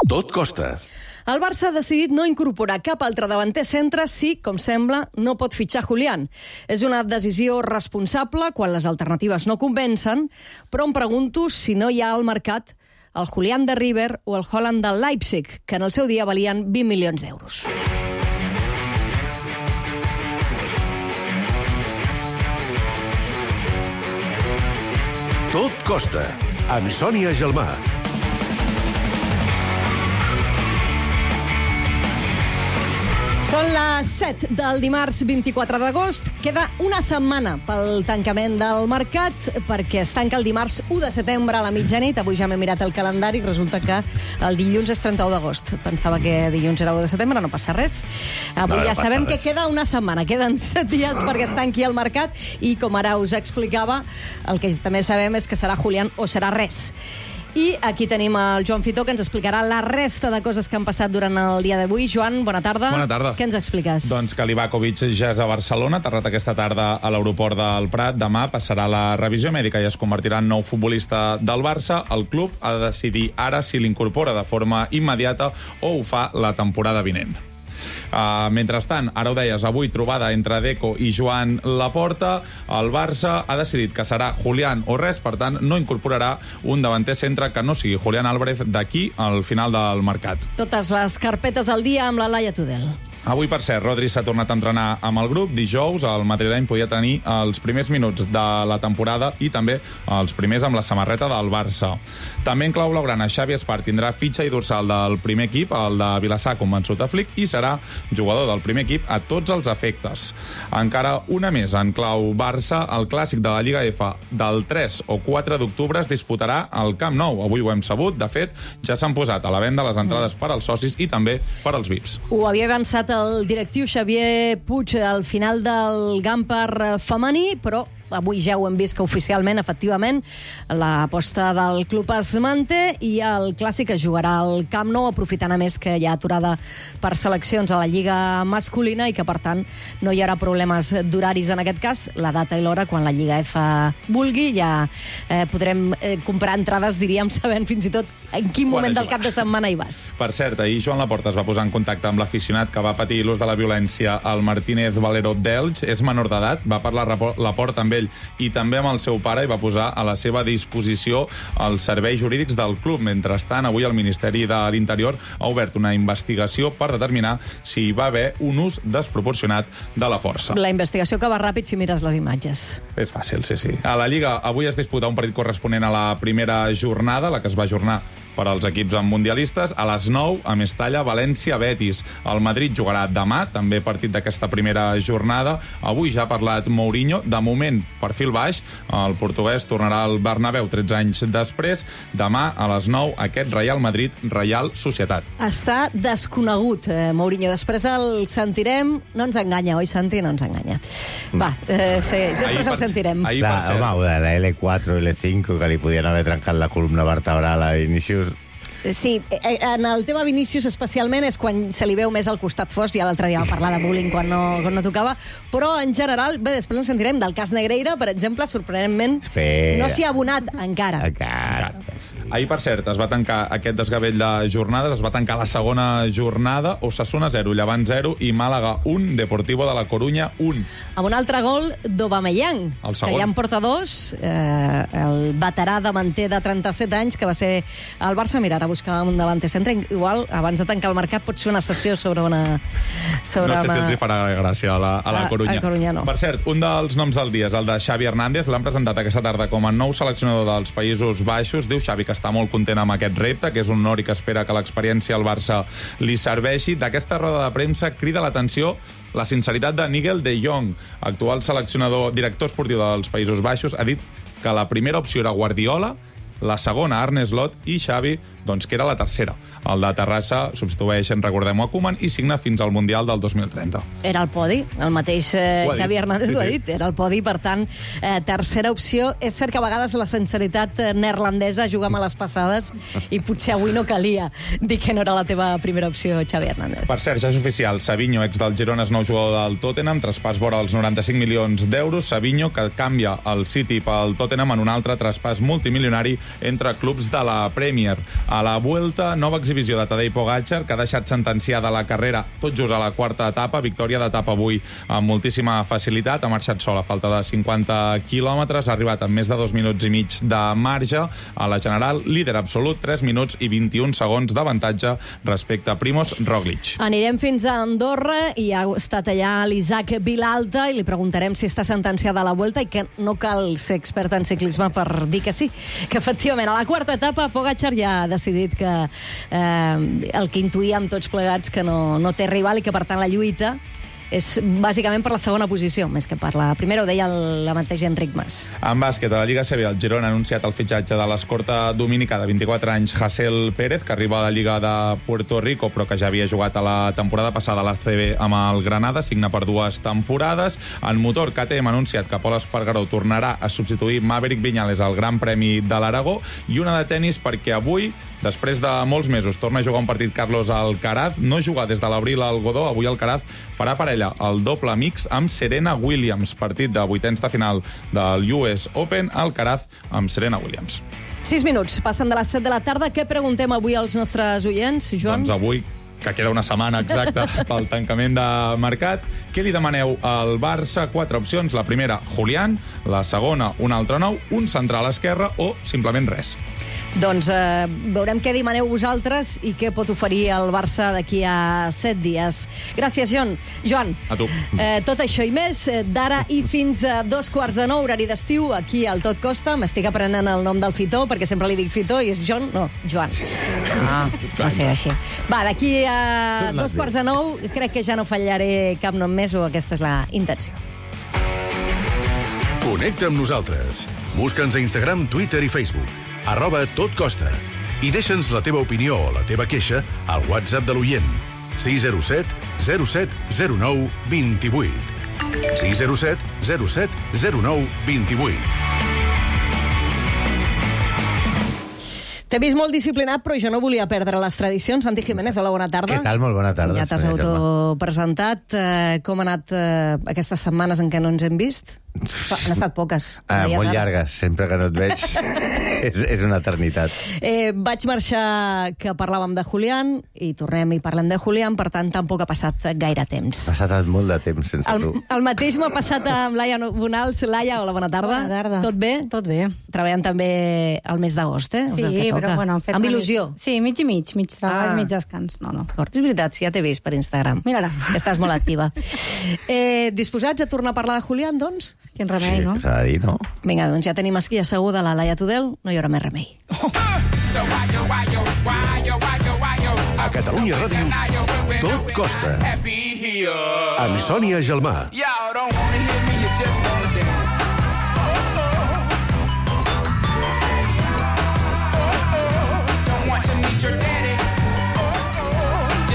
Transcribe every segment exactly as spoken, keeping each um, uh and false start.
Tot costa. El Barça ha decidit no incorporar cap altre davanter centre si, com sembla, no pot fitxar Julián. És una decisió responsable quan les alternatives no convencen, però em pregunto si no hi ha al mercat el Julián de River o el Haaland del Leipzig, que en el seu dia valien vint milions d'euros. Tot costa, amb Sònia Gelmà. Són les set del dimarts vint-i-quatre d'agost. Queda una setmana pel tancament del mercat, perquè es tanca el dimarts u de setembre a la mitjanit. Avui ja m'he mirat el calendari i resulta que el dilluns és trenta-u d'agost. Pensava que dilluns era u de setembre, no passa res. Avui no, ja no sabem res. que queda una setmana. Queden set dies perquè es tanqui el mercat i, com ara us explicava, el que també sabem és que serà Julián o serà res. I aquí tenim el Joan Fitó, que ens explicarà la resta de coses que han passat durant el dia d'avui. Joan, bona tarda. Bona tarda. Què ens expliques? Doncs que Livakovic ja és a Barcelona, aterrat aquesta tarda a l'aeroport del Prat. Demà passarà la revisió mèdica i es convertirà en nou futbolista del Barça. El club ha de decidir ara si l'incorpora de forma immediata o ho fa la temporada vinent. Uh, mentrestant, ara ho deies, avui trobada entre Deco i Joan Laporta. El Barça ha decidit que serà Julián o res, per tant no incorporarà un davanter centre que no sigui Julián Álvarez d'aquí al final del mercat. Totes les carpetes al dia amb la Laia Tudel. Avui, per cert, Rodri s'ha tornat a entrenar amb el grup. Dijous, el madrileny podia tenir els primers minuts de la temporada i també els primers amb la samarreta del Barça. També en clau blaugrana, Xavi Espart tindrà fitxa i dorsal del primer equip, el de Vilassar, convençut a Flick, i serà jugador del primer equip a tots els efectes. Encara una més en clau Barça, el clàssic de la Lliga F del tres o quatre d'octubre es disputarà al Camp Nou. Avui ho hem sabut. De fet, ja s'han posat a la venda les entrades per als socis i també per als V I Ps. Ho havia avançat el directiu Xavier Puig al final del Gamper femení, però avui ja ho hem vist que oficialment, efectivament, l'aposta del club es manté i el clàssic es jugarà al Camp Nou, aprofitant a més que hi ha aturada per seleccions a la Lliga masculina i que, per tant, no hi haurà problemes d'horaris en aquest cas. La data i l'hora, quan la Lliga F vulgui, ja eh, podrem eh, comprar entrades, diríem, sabent fins i tot en quin moment del cap de setmana hi vas. Per cert, ahir Joan Laporta es va posar en contacte amb l'aficionat que va patir l'ús de la violència al Martínez Valero d'Elx. És menor d'edat, va parlar Laporta amb ell i també amb el seu pare i va posar a la seva disposició els serveis jurídics del club. Mentrestant, avui el Ministeri de l'Interior ha obert una investigació per determinar si hi va haver un ús desproporcionat de la força. La investigació que va ràpid si mires les imatges. És fàcil, sí, sí. A la Lliga avui es disputa un partit corresponent a la primera jornada, la que es va ajornar per als equips mundialistes. A les nou, a Mestalla, València-Betis. El Madrid jugarà demà, també partit d'aquesta primera jornada. Avui ja ha parlat Mourinho. De moment, perfil baix. El portuguès tornarà al Bernabéu tretze anys després. Demà, a les nou, aquest Real Madrid-Real Societat. Està desconegut, eh, Mourinho. Després el sentirem. No ens enganya, oi, Santi? No ens enganya. Va, eh, sí, després el sentirem. Ahir, La, per cert, home, de la L quatre i L cinc, que li podien haver trencat la columna vertebral a Vinícius. Sí, en el tema Vinícius especialment és quan se li veu més al costat fos. Ja l'altre dia va parlar de bullying quan no, quan no tocava, però en general, bé, després en sentirem del cas Negreira, per exemple, sorprenentment Espera. no s'hi ha abonat encara. Encara. Ahir, per cert, es va tancar aquest desgavell de jornades, es va tancar la segona jornada, Osasuna zero, Llevant zero i Màlaga un, Deportivo de la Corunya un. Amb un altre gol d'Aubameyang, El que segon. ja en porta dos, eh, el veterà davanter de trenta-set anys, que va ser al Barça. Mira, ara buscàvem un davanter centre. Igual, abans de tancar el mercat, pot ser una sessió sobre una... Sobre No sé una... si els hi farà gràcia a la, a la A- Corunya. a Corunya no. Per cert, un dels noms del dia és el de Xavi Hernández. L'han presentat aquesta tarda com a nou seleccionador dels Països Baixos. Diu Xavi que està molt content amb aquest repte, que és un honor i que espera que l'experiència al Barça li serveixi. D'aquesta roda de premsa crida l'atenció la sinceritat de Nigel de Jong, actual seleccionador, director esportiu dels Països Baixos. Ha dit que la primera opció era Guardiola, la segona Arne Slot i Xavi, doncs, que era la tercera. El de Terrassa substitueix, en recordem, a Koeman i signa fins al Mundial del dos mil trenta. Era el podi, el mateix eh, Ho ha dit. Xavi Hernández Sí, ho ha sí. dit, era el podi, per tant, eh, tercera opció. És cert que a vegades la sinceritat eh, neerlandesa juga amb les passades i potser avui no calia dir que no era la teva primera opció, Xavi Hernández. Per cert, ja és oficial, Savinho, ex del Girona, és nou jugador del Tottenham, traspàs vora els noranta-cinc milions d'euros. Savinho, que canvia el City pel Tottenham en un altre traspàs multimilionari entre clubs de la Premier. A la Vuelta, nova exhibició de Tadej Pogačar, que ha deixat sentenciada la carrera tot just a la quarta etapa. Victòria d'etapa avui amb moltíssima facilitat. Ha marxat sol a falta de cinquanta quilòmetres. Ha arribat amb més de dos minuts i mig de marge. A la general, líder absolut, tres minuts i vint-i-un segons d'avantatge respecte a Primož Roglič. Anirem fins a Andorra i ha estat allà l'Isaac Vilalta i li preguntarem si està sentenciada a la Vuelta i que no cal ser expert en ciclisme per dir que sí, que efectivament a la quarta etapa Pogačar ja ha decidit que eh, el que intuïem tots plegats que no, no té rival i que per tant la lluita és bàsicament per la segona posició, més que per la primera, ho deia el, la mateix Enric Mas. En bàsquet, a la Lliga C B, el Girona ha anunciat el fitxatge de l'escorta dominicà de vint-i-quatre anys, Hasél Pérez, que arriba a la Lliga de Puerto Rico, però que ja havia jugat a la temporada passada a l'A C B amb el Granada, signa per dues temporades. En motor, K T M ha anunciat que Pol Espargaró tornarà a substituir Maverick Viñales al Gran Premi de l'Aragó, i una de tenis perquè avui, després de molts mesos, torna a jugar un partit Carlos Alcaraz. No juga des de l'abril al Godó. Avui Alcaraz farà parella el doble mix amb Serena Williams. Partit de vuitens de final del U S Open. Alcaraz amb Serena Williams. Sis minuts, passen de les set de la tarda. Què preguntem avui als nostres oients, Joan? Doncs avui, que queda una setmana exacta pel tancament de mercat, què li demaneu al Barça? Quatre opcions. La primera, Julián. La segona, un altre nou. Un central esquerre o simplement res. Doncs eh, veurem què demaneu vosaltres i què pot oferir el Barça d'aquí a set dies. Gràcies, Joan. Joan, a tu. Eh, tot això i més, eh, d'ara i fins a dos quarts de nou, horari d'estiu, aquí al Tot Costa. M'estic aprenent el nom del Fitó, perquè sempre li dic Fitó i és John, no, Joan. Ah, va ser així. Va, d'aquí a dos quarts de nou, crec que ja no fallaré cap nom més, o aquesta és la intenció. Connecta amb nosaltres. Busca'ns a Instagram, Twitter i Facebook. Arroba Tot Costa. I deixa'ns la teva opinió o la teva queixa al WhatsApp de l'oient. sis zero set zero set zero nou dos vuit. sis zero set zero set zero nou dos vuit. T'he vist molt disciplinat, però jo no volia perdre les tradicions. Santi Jiménez, hola, bona tarda. Què tal? Molt bona tarda. Ja t'has autopresentat. Eh, com han anat eh, aquestes setmanes en què no ens hem vist? Han estat poques. Ah, molt llargues. Sempre que no et veig és, és una eternitat. Eh, vaig marxar que parlàvem de Julián i tornem i parlem de Julián, per tant tampoc ha passat gaire temps. Ha passat molt de temps sense el, tu. El mateix m'ha passat amb Laia Bonals. Laia, hola, bona tarda. Bona tarda. Tot bé? Tot bé. Treballant també al mes d'agost, eh? Sí, o sigui, però bueno, amb il·lusió. Mig... Sí, mig i mig. Mig treball, Ah. mig descans. No, no. D'acord, és veritat, sí, ja t'he vist per Instagram. Mira-la. Que estàs molt activa. Eh, disposats a tornar a parlar de Julián, doncs? Quin remei, Sí, no? que s'ha de dir, no? Vinga, doncs ja tenim aquí asseguda la Laia Tudel, no hi haurà més remei. A Catalunya Ràdio, Tot Costa. Amb Sònia Gelmà.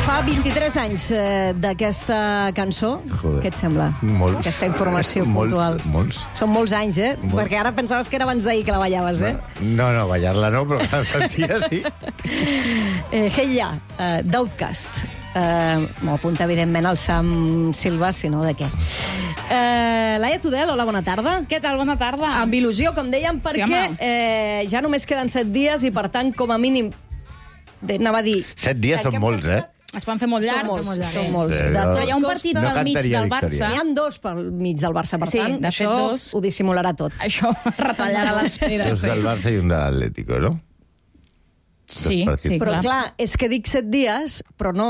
Fa vint-i-tres anys eh, d'aquesta cançó. Joder. Què et sembla? Molts. Aquesta informació Molts, puntual. molts. Són molts anys, eh? Molts. Perquè ara pensaves que era abans d'ahir que la ballaves, eh? No, no, ballar-la no, però la sentia sí. eh Hey Ya, eh, d'Outcast. Eh, M'ho apunta, evidentment, el Sam Silva, si no, de què? Eh, Laia Tudel, hola, bona tarda. Què tal? Bona tarda. Amb il·lusió, com dèiem, perquè home. eh, ja només queden set dies i, per tant, com a mínim, de, anava a dir... Set dies són molts, eh? Es van fer molt Són llargs. molts, molt llargs. són molts. Sí, De no. tot Hi ha un partit No al mig cantaria del victòria. Barça. N'hi ha dos pel mig del Barça, per Sí, tant, de fet, això dos. ho dissimularà tot. Això retallarà l'espera. Dos del Barça i un de l'Atlético, no? Sí, partits. sí, Però, clar. clar, és que dic set dies, però no,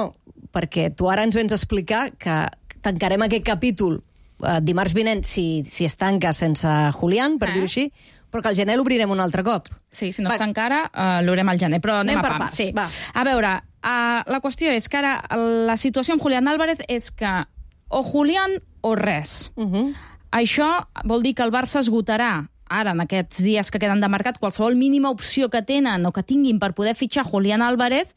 perquè tu ara ens vens a explicar que tancarem aquest capítol eh, dimarts vinent, si, si es tanca sense Julián, per Eh? dir-ho així, però que al gener l'obrirem un altre cop. Sí, si no Va. està encara, uh, l'haurem al gener, però anem, Anem a per pams. parts, Sí. va. A veure, uh, la qüestió és que ara la situació amb Julián Álvarez és que o Julián o res. Uh -huh. Això vol dir que el Barça esgotarà ara, en aquests dies que queden de mercat, qualsevol mínima opció que tenen o que tinguin per poder fitxar Julián Álvarez,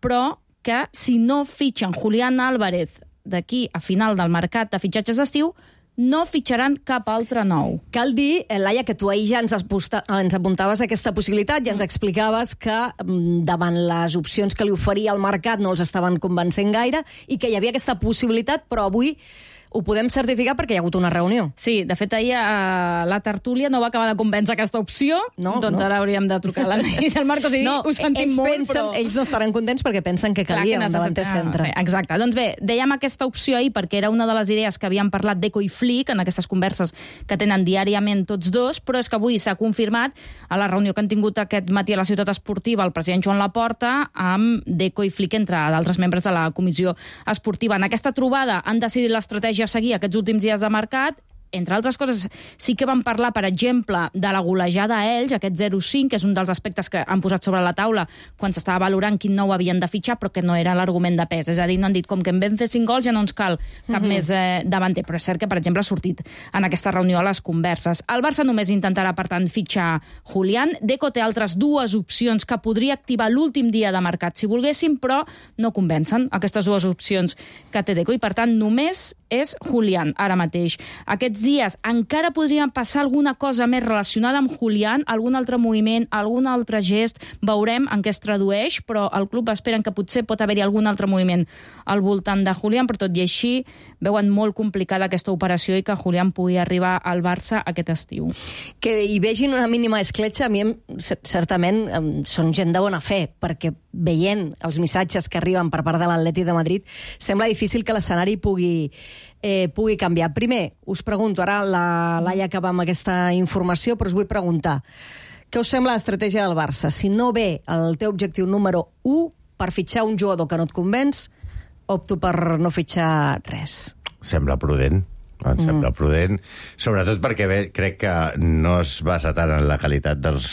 però que si no fitxen Julián Álvarez d'aquí a final del mercat de fitxatges d'estiu, no fitxaran cap altre nou. Cal dir, eh, Laia, que tu ahir ja ens, aposta, ens apuntaves a aquesta possibilitat, ja ens explicaves que mm, davant les opcions que li oferia el mercat no els estaven convencent gaire i que hi havia aquesta possibilitat, però avui ho podem certificar perquè hi ha hagut una reunió. Sí, de fet, ahir eh, la tertúlia no va acabar de convèncer aquesta opció, no, doncs no. ara hauríem de trucar a l'Anaís i al Marcos i dir, no, ho sentim ells molt, pensen, però... Ells no estaran contents perquè pensen que calia Clar, que un davanter centre. Ah, exacte. Doncs bé, dèiem aquesta opció ahir perquè era una de les idees que havien parlat Deco i Flick en aquestes converses que tenen diàriament tots dos, però és que avui s'ha confirmat a la reunió que han tingut aquest matí a la Ciutat Esportiva el president Joan Laporta amb Deco i Flick, entre d'altres membres de la comissió esportiva. En aquesta trobada han decidit l'estratègia a seguir aquests últims dies de mercat. Entre altres coses, sí que van parlar, per exemple, de la golejada a Elx, aquest zero cinc, que és un dels aspectes que han posat sobre la taula quan s'estava valorant quin nou havien de fitxar, però que no era l'argument de pes. És a dir, no han dit, com que en vam fer cinc gols ja no ens cal cap mm-hmm. més eh, davanter. Però és cert que, per exemple, ha sortit en aquesta reunió a les converses. El Barça només intentarà, per tant, fitxar Julián. Deco té altres dues opcions que podria activar l'últim dia de mercat, si volguéssim, però no convencen aquestes dues opcions que té Deco. I, per tant, només és Julián ara mateix. Aquests dies encara podrien passar alguna cosa més relacionada amb Julián, algun altre moviment, algun altre gest, veurem en què es tradueix, però el club esperen que potser pot haver-hi algun altre moviment al voltant de Julián, però tot i així veuen molt complicada aquesta operació i que Julián pugui arribar al Barça aquest estiu. Que hi vegin una mínima escletxa, a mi certament són gent de bona fe, perquè veient els missatges que arriben per part de l'Atlètic de Madrid, sembla difícil que l'escenari pugui, eh, pugui canviar. Primer, us pregunto, ara la Laia acaba amb aquesta informació, però us vull preguntar, què us sembla l'estratègia del Barça? Si no ve el teu objectiu número u per fitxar un jugador que no et convenç, opto per no fitxar res. Sembla prudent. Em mm. sembla prudent, sobretot perquè bé, crec que no es basa tant en la qualitat dels,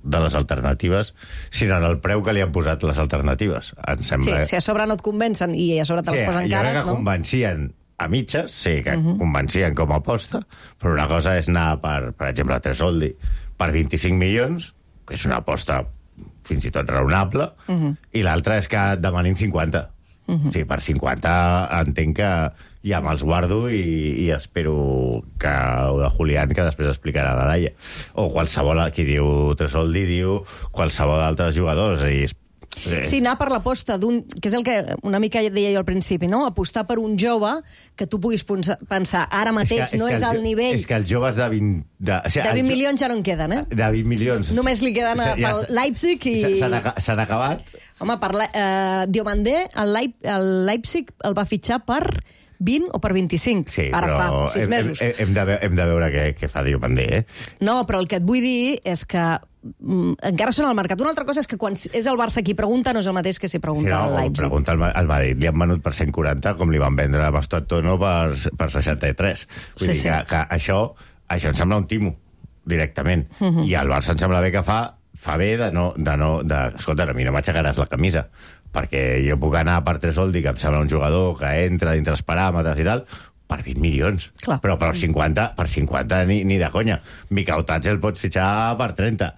de les alternatives, sinó en el preu que li han posat les alternatives. Em sembla... Sí, si a sobre no et convencen i a sobre te'ls sí, posen cares, no? cares, Jo crec que no? convencien a mitges, sí, que uh-huh. convencien com a aposta, però una cosa és anar, per, per exemple, a Tresoldi per vint-i-cinc milions, que és una aposta fins i tot raonable, uh-huh. i l'altra és que demanin cinquanta. Uh-huh. Sí, per cinquanta entenc que ja me'ls guardo i, i espero que o de Julián, que després explicarà la Laia. O qualsevol, qui diu Tresoldi, diu qualsevol d'altres jugadors. I sí, anar per l'aposta d'un... que és el que una mica deia jo al principi, no? Apostar per un jove que tu puguis pensar, ara mateix és que, no és, és al nivell... És que els joves de vint... De, o sigui, de vint milions ja no en queden, eh? De vint milions. Només li queden a, pel Leipzig i... S'han acabat. Home, per la, uh, Diomandé, el, Leip, el Leipzig el va fitxar per vint o per vint-i-cinc. Sí, ara però fa sis hem, mesos. Hem, hem, de, hem de veure què, què fa Diomandé, eh? No, però el que et vull dir és que mm, encara són al mercat. Una altra cosa és que quan és el Barça qui pregunta no és el mateix que si pregunta sí, no, el Leipzig. Pregunta al, al Madrid. Li han venut per cent quaranta com li van vendre a Bastot Tono per, per seixanta-tres. Vull sí, dir sí. que, que això, això em sembla un timo, directament. Uh-huh. I al Barça em sembla bé que fa, fa bé de no... De no de, escolta, a mi no m'aixecaràs la camisa, perquè jo puc anar per Tresoldi, que em sembla un jugador que entra dintre els paràmetres i tal, per vint milions. Clar. Però per cinquanta, per cinquanta ni, ni de conya. Mikautats el pots fitxar per trenta,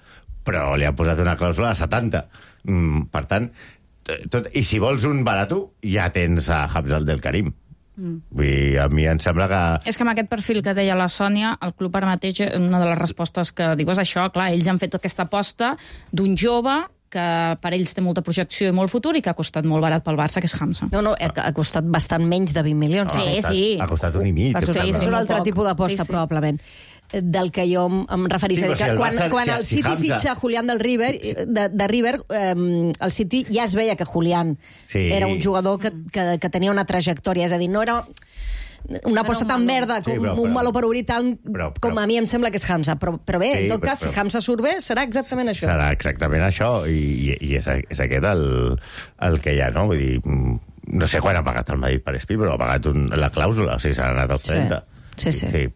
però li han posat una clàusula de setanta. Mm, per tant, tot, i si vols un barato, ja tens a Hafsal del Karim. Mm. Vull dir, a mi em sembla que... És que amb aquest perfil que deia la Sònia, el club ara mateix, una de les respostes que diu és això, clar, ells han fet aquesta aposta d'un jove que per ells té molta projecció i molt futur i que ha costat molt barat pel Barça, que és Hamza. No, no, ha costat bastant menys de vint milions. Sí, ha costat, sí. Ha costat un i mig. Per sí, sí, sí, és un molt altre poc. tipus d'aposta, Sí, sí. probablement, del que jo em referís. Sí, Sí, si el quan Barça- quan si- el si City Hamza- fitxa Julián del River, de, de River, eh, el City ja es veia que Julián Sí. era un jugador que, que, que tenia una trajectòria, és a dir, no era una aposta tan verda com Sí, però- un però- meló per obrir tant però- però- com a mi em sembla que és Hamza, però, però bé, Sí, en tot però- cas, si però- Hamza surt bé, serà exactament això. Serà exactament això, i, i, i és, és aquest el, el que hi ha, no? Vull dir, mm, no sé quan ha pagat el Madrid per Espi, però ha pagat un, la clàusula, o sigui, s'ha anat als trenta. Sí, sí. sí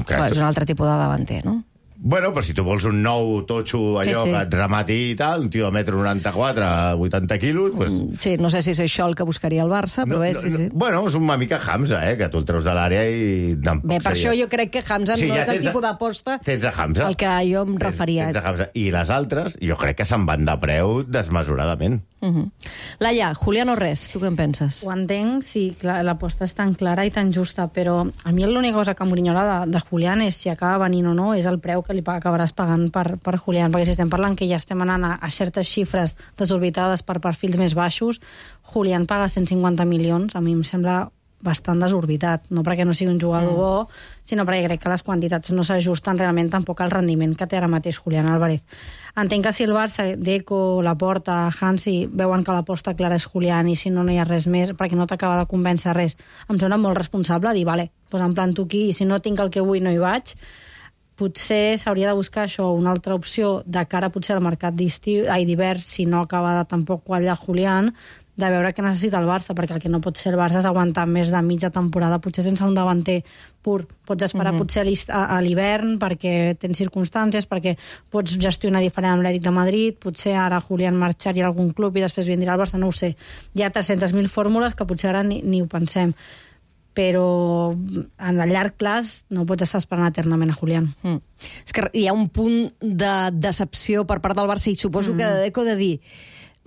que Clar, és un altre tipus de davanter, no? Bueno, però si tu vols un nou totxo, allò Sí, sí. que et remati i tal, un tio de metro noranta-quatre, vuitanta quilos, pues... Sí, no sé si és això el que buscaria el Barça, però bé, sí, sí. No, bueno, és una mica Hamza, eh, que tu el treus de l'àrea i... Bé, per això jo crec que Hamza Sí, no ja és el tens a- tipus d'aposta tens a Hamza. al que jo em referia. Tens, tens a Hamza. I les altres, jo crec que se'n van de preu desmesuradament. Uh -huh. Laia, Julián o res, tu què en penses? Ho entenc, sí, clar, l'aposta és tan clara i tan justa, però a mi l'única cosa que m'orinyola de, de Julián és si acaba venint o no, és el preu que li pa- acabaràs pagant per, per Julián, perquè si estem parlant que ja estem anant a, a certes xifres desorbitades per perfils més baixos, Julián paga cent cinquanta milions, a mi em sembla bastant desorbitat, no perquè no sigui un jugador mm. bo, sinó perquè crec que les quantitats no s'ajusten realment tampoc al rendiment que té ara mateix Julián Álvarez. Entenc que si el Barça, Deco, Laporta, Hansi, veuen que l'aposta clara és Julián i si no, no hi ha res més, perquè no t'acaba de convèncer res, em sembla molt responsable dir, vale, doncs em planto aquí i si no tinc el que vull no hi vaig. Potser s'hauria de buscar això, una altra opció de cara potser al mercat d'hivern, si no acaba de tampoc quallar Julián, de veure què necessita el Barça, perquè el que no pot ser el Barça és aguantar més de mitja temporada, potser sense un davanter pur. Pots esperar uh-huh. potser a, a l'hivern perquè tens circumstàncies, perquè pots gestionar diferent amb l'Atlètic de Madrid, potser ara Julián marxaria a algun club i després vindria al Barça, no ho sé. Hi ha tres-centes mil fórmules que potser ara ni, ni ho pensem. Però en el llarg plaç no pots estar esperant eternament a Julián. Mm. És que hi ha un punt de decepció per part del Barça i suposo mm. que de Deco de dir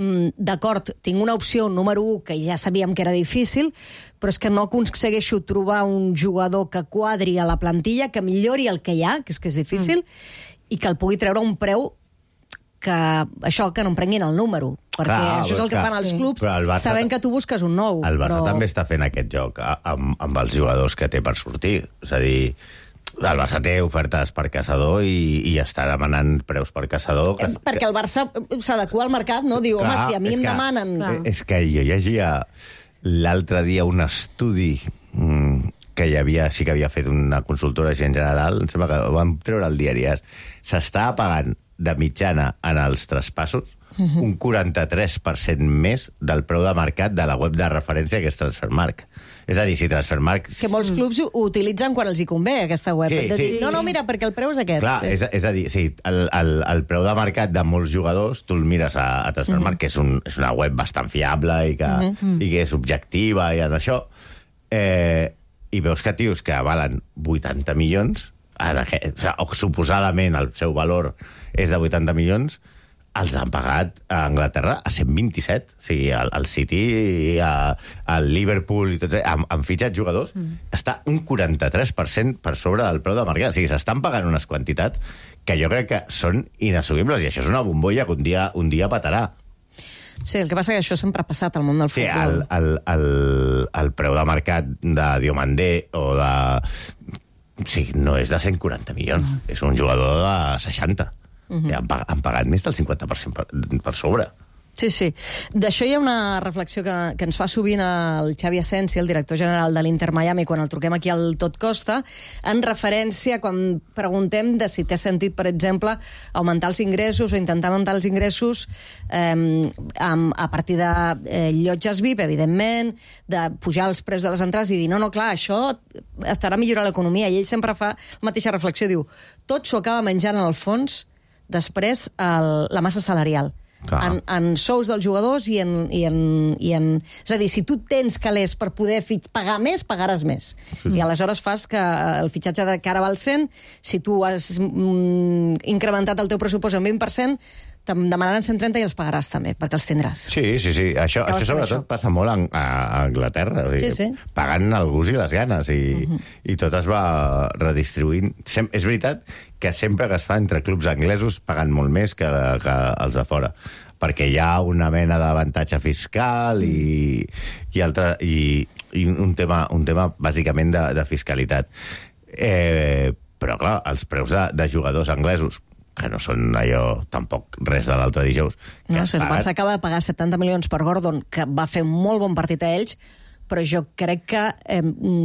mm, d'acord, tinc una opció número u que ja sabíem que era difícil, però és que no aconsegueixo trobar un jugador que quadri a la plantilla, que millori el que hi ha, que és que és difícil, mm. i que el pugui treure a un preu que això, que no em prenguin el número, perquè Clar, això és el que fan els clubs, Barça, sabent que tu busques un nou. El Barça però... també està fent aquest joc amb, amb els jugadors que té per sortir. És a dir, el Barça té ofertes per caçador i, i està demanant preus per caçador. Que, perquè el Barça s'adequa al mercat, no? Diu, clar, home, si a mi em que, demanen... Clar. És que jo llegia l'altre dia un estudi mmm, que hi havia, sí que havia fet una consultora en general, em sembla que ho vam treure al diari. S'està pagant de mitjana en els traspassos uh-huh. un quaranta-tres per cent més del preu de mercat de la web de referència que és Transfermarkt. És a dir, si Transfermarkt... Que molts clubs ho utilitzen quan els hi convé, aquesta web. Sí, de sí, dir, no, no, mira, perquè el preu és aquest. Clar, sí. és, és a dir, sí, el, el, el preu de mercat de molts jugadors, tu el mires a, a Transfermarkt, uh-huh. que és, un, és una web bastant fiable i que, uh-huh. i que és objectiva i en això, eh, i veus que tios que valen vuitanta milions, en aquest, o, sigui, o suposadament el seu valor és de vuitanta milions, els han pagat a Anglaterra a cent vint-i-set. O sigui, el, el City, el Liverpool i tots, han, han fitxat jugadors, mm. està un quaranta-tres per cent per sobre del preu de mercat. O sigui, s'estan pagant unes quantitats que jo crec que són inassumibles, i això és una bombolla que un dia, un dia petarà. Sí, el que passa que això sempre ha passat al món del sí, futbol. El, el, el, el preu de mercat de Diomandé o de... Sí, no és de cent quaranta milions, mm. és un jugador de seixanta. Uh-huh. Sí, han, han pagat més del cinquanta per cent per, per sobre. Sí, sí. D'això hi ha una reflexió que, que ens fa sovint el Xavi Asensi, el director general de l'Inter Miami, quan el truquem aquí al Tot Costa, en referència quan preguntem de si té sentit, per exemple, augmentar els ingressos o intentar augmentar els ingressos eh, amb, a partir de eh, llotges V I P, evidentment, de pujar els preus de les entrades i dir, no, no, clar, això estarà a millorar l'economia. I ell sempre fa la mateixa reflexió, diu, tot s'ho acaba menjant en el fons després el, la massa salarial. En, en sous dels jugadors i en, i, en, i en... És a dir, si tu tens calés per poder fitx, pagar més, pagaràs més. Sí. I aleshores fas que el fitxatge de cara val cent, si tu has mm, incrementat el teu pressupost en vint per cent, te'n demanaran cent trenta i els pagaràs també, perquè els tindràs. Sí, sí, sí. Això, això sobretot això. Passa molt a, a Anglaterra. O sigui, sí, sí. Pagant el gust i les ganes i, uh-huh. i tot es va redistribuint. Sem- és veritat que sempre que es fa entre clubs anglesos paguen molt més que, que els de fora, perquè hi ha una mena d'avantatge fiscal i, i, altre, i, i un, tema, un tema bàsicament de, de fiscalitat. Eh, però, clar, els preus de, de jugadors anglesos, que no són allò tampoc res de l'altre dijous. No, si el Barça acaba de pagar setanta milions per Gordon, que va fer un molt bon partit a ells, però jo crec que eh,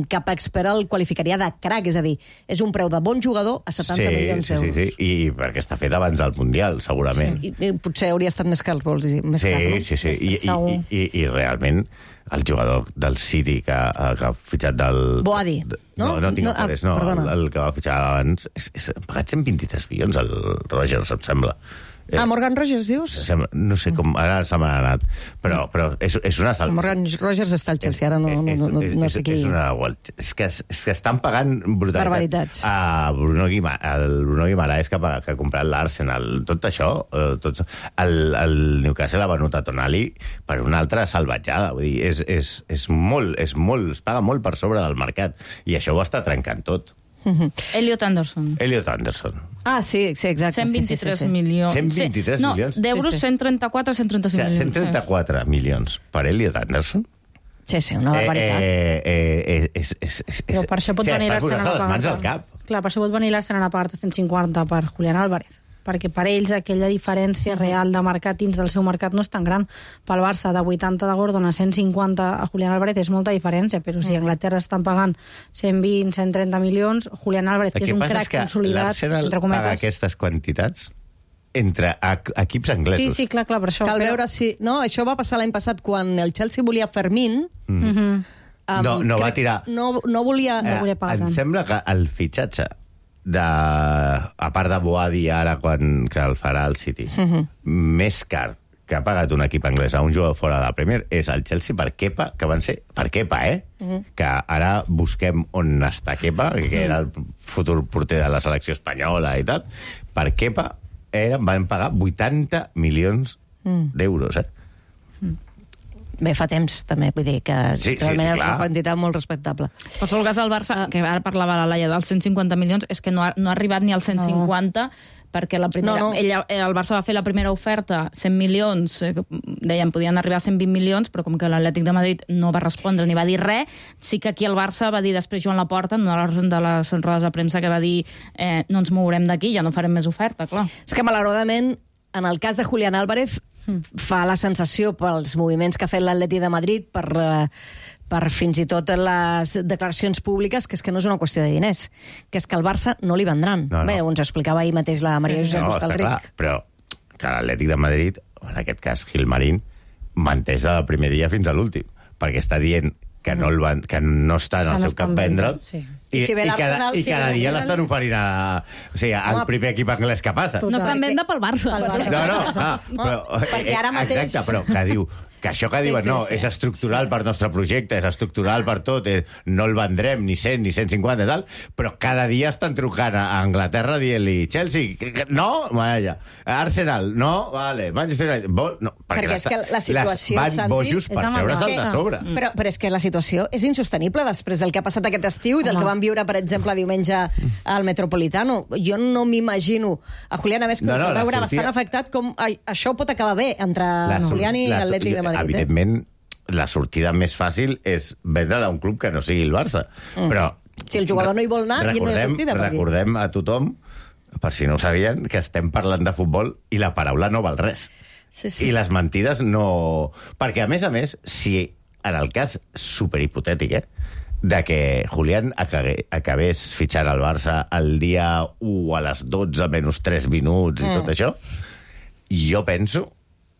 cap expert el qualificaria de crac, és a dir, és un preu de bon jugador a setanta sí, milions sí, d'euros. Sí, sí, i perquè està fet abans del Mundial, segurament. Sí, i, i potser hauria estat més car, vols dir, més sí, car, no? Sí, sí, i, i, i, i realment el jugador del City que, que ha fitxat del... Boadi, no? No, no tinc no, ah, no, el, el que va fitxar abans, és, és, ha pagat cent vint-i-tres milions, el Rogers, em sembla. Ah, Morgan Rogers, dius? No sé com... Ara se m'ha anat. Però, però és, és una... Sal... Morgan Rogers està al Chelsea, ara no, no, no, no sé qui... És una... És que, és que estan pagant brutalitat. Barbaritats. A Bruno Guimà, el Bruno Guimaraes que, que ha comprat l'Arsenal. Tot això, tot, el, el Newcastle ha venut a Tonali per una altra salvatjada. Vull dir, és, és, és molt, és molt... Es paga molt per sobre del mercat. I això ho està trencant tot. Uh-huh. Elliot Anderson. Elliot Anderson. Ah, sí, sí, exacte. cent vint-i-tres sí, sí, sí. milions. cent vint-i-tres milions? No, d'euros sí, sí. cent trenta-quatre, cent trenta-cinc milions. cent trenta-quatre milions per Elliot Anderson? Sí, sí, una barbaritat. Eh, eh, eh, és, és, és, Però per això pot sí, venir és per l'Arsenal posar-se a les mans pagar. al cap. Clar, per això pot venir l'Arsenal a pagar cent cinquanta per Julián Álvarez, perquè per ells aquella diferència real de mercat dins del seu mercat no és tan gran. Pel Barça, de vuitanta de Gordon a cent cinquanta a Julián Álvarez és molta diferència, però si a Anglaterra estan pagant cent vint, cent trenta milions, Julián Álvarez, que és un crac consolidat, l'Arsenal entre paga cometes... aquestes quantitats entre equips anglesos. Sí, sí, clar, clar, per això. Cal però... veure si... No, això va passar l'any passat quan el Chelsea volia Fermín. Mm. Mm-hmm. Um, No, no va crec- tirar. No, no volia... No volia pagar em tant. sembla que el fitxatge de, a part de Boadi ara quan, que el farà el City, Mhm. més car que ha pagat un equip anglès a un jugador fora de la Premier és el Chelsea per Kepa, que van ser per Kepa, eh? Mhm. Que ara busquem on està Kepa, que era el futur porter de la selecció espanyola i tal. Per Kepa eren, van pagar vuitanta milions Mm. d'euros, eh? Bé, fa temps, també, vull dir que Sí, sí, realment sí, és clar. una quantitat molt respectable. En qualsevol cas, el Barça, que ara parlava la Laia dels cent cinquanta milions, és que no ha, no ha arribat ni als cent cinquanta, perquè la primera, No, no. Ella, el Barça va fer la primera oferta, cent milions, eh, deien, podien arribar a cent vint milions, però com que l'Atlètic de Madrid no va respondre ni va dir res, sí que aquí el Barça va dir després Joan Laporta, en una de les rodes de premsa, que va dir eh, no ens mourem d'aquí, ja no farem més oferta, clar. És que, malauradament, en el cas de Julián Álvarez, fa la sensació pels moviments que ha fet l'Atleti de Madrid, per, eh, per fins i tot les declaracions públiques, que és que no és una qüestió de diners, que és que el Barça no li vendran. No, no. Bé, ens explicava ahir mateix la Maria Josep No, està Hostalric. clar, però que l'Atlètic de Madrid, en aquest cas Gilmarín, menteix del primer dia fins a l'últim, perquè està dient que no, el van, que no està en el Que no seu està cap en venda, vendre'l, sí. I si ve i cada, l'Arsenal, i si cada ve dia l'Arsenal- l'estan oferint a, o sigui, al Home, primer equip anglès que passa. No està en venda pel Barça. Pel Barça. No, no, ah, però, Perquè ara mateix- Exacte, però que diu que això que Sí, diuen, sí, no, sí. és estructural per nostre projecte, és estructural per tot, eh, no el vendrem ni cent ni cent cinquanta i tal, però cada dia estan trucant a Anglaterra dient-li Chelsea, que- que- no, vaja, Arsenal, no, vale, Manchester United, vol, no, Perquè les- és que la situació, les van Santi, bojos per és amb el treure's Barça. de sobre. Mm. Però, però és que la situació és insostenible després del que ha passat aquest estiu i del Home. que vam viure, per exemple, diumenge al Metropolitano. Jo no m'imagino a Julián, a més, que No, no, no, no, la veure sortida- bastant afectat com ai, això pot acabar bé entre La sor- Julián i la- l'Atlètic de Madrid. Eh? Evidentment, la sortida més fàcil és vendre-la a un club que no sigui el Barça. Mm. Però Si el jugador no hi vol anar, i no hi ha sortida per aquí. Recordem a tothom, per si no ho sabien, que estem parlant de futbol i la paraula no val res. Sí, sí. I les mentides no... Perquè, a més a més, si en el cas superhipotètic, eh, de que Julián acabe, acabés fitxant al Barça el dia u a les dotze menys tres minuts i Mm. tot això, jo penso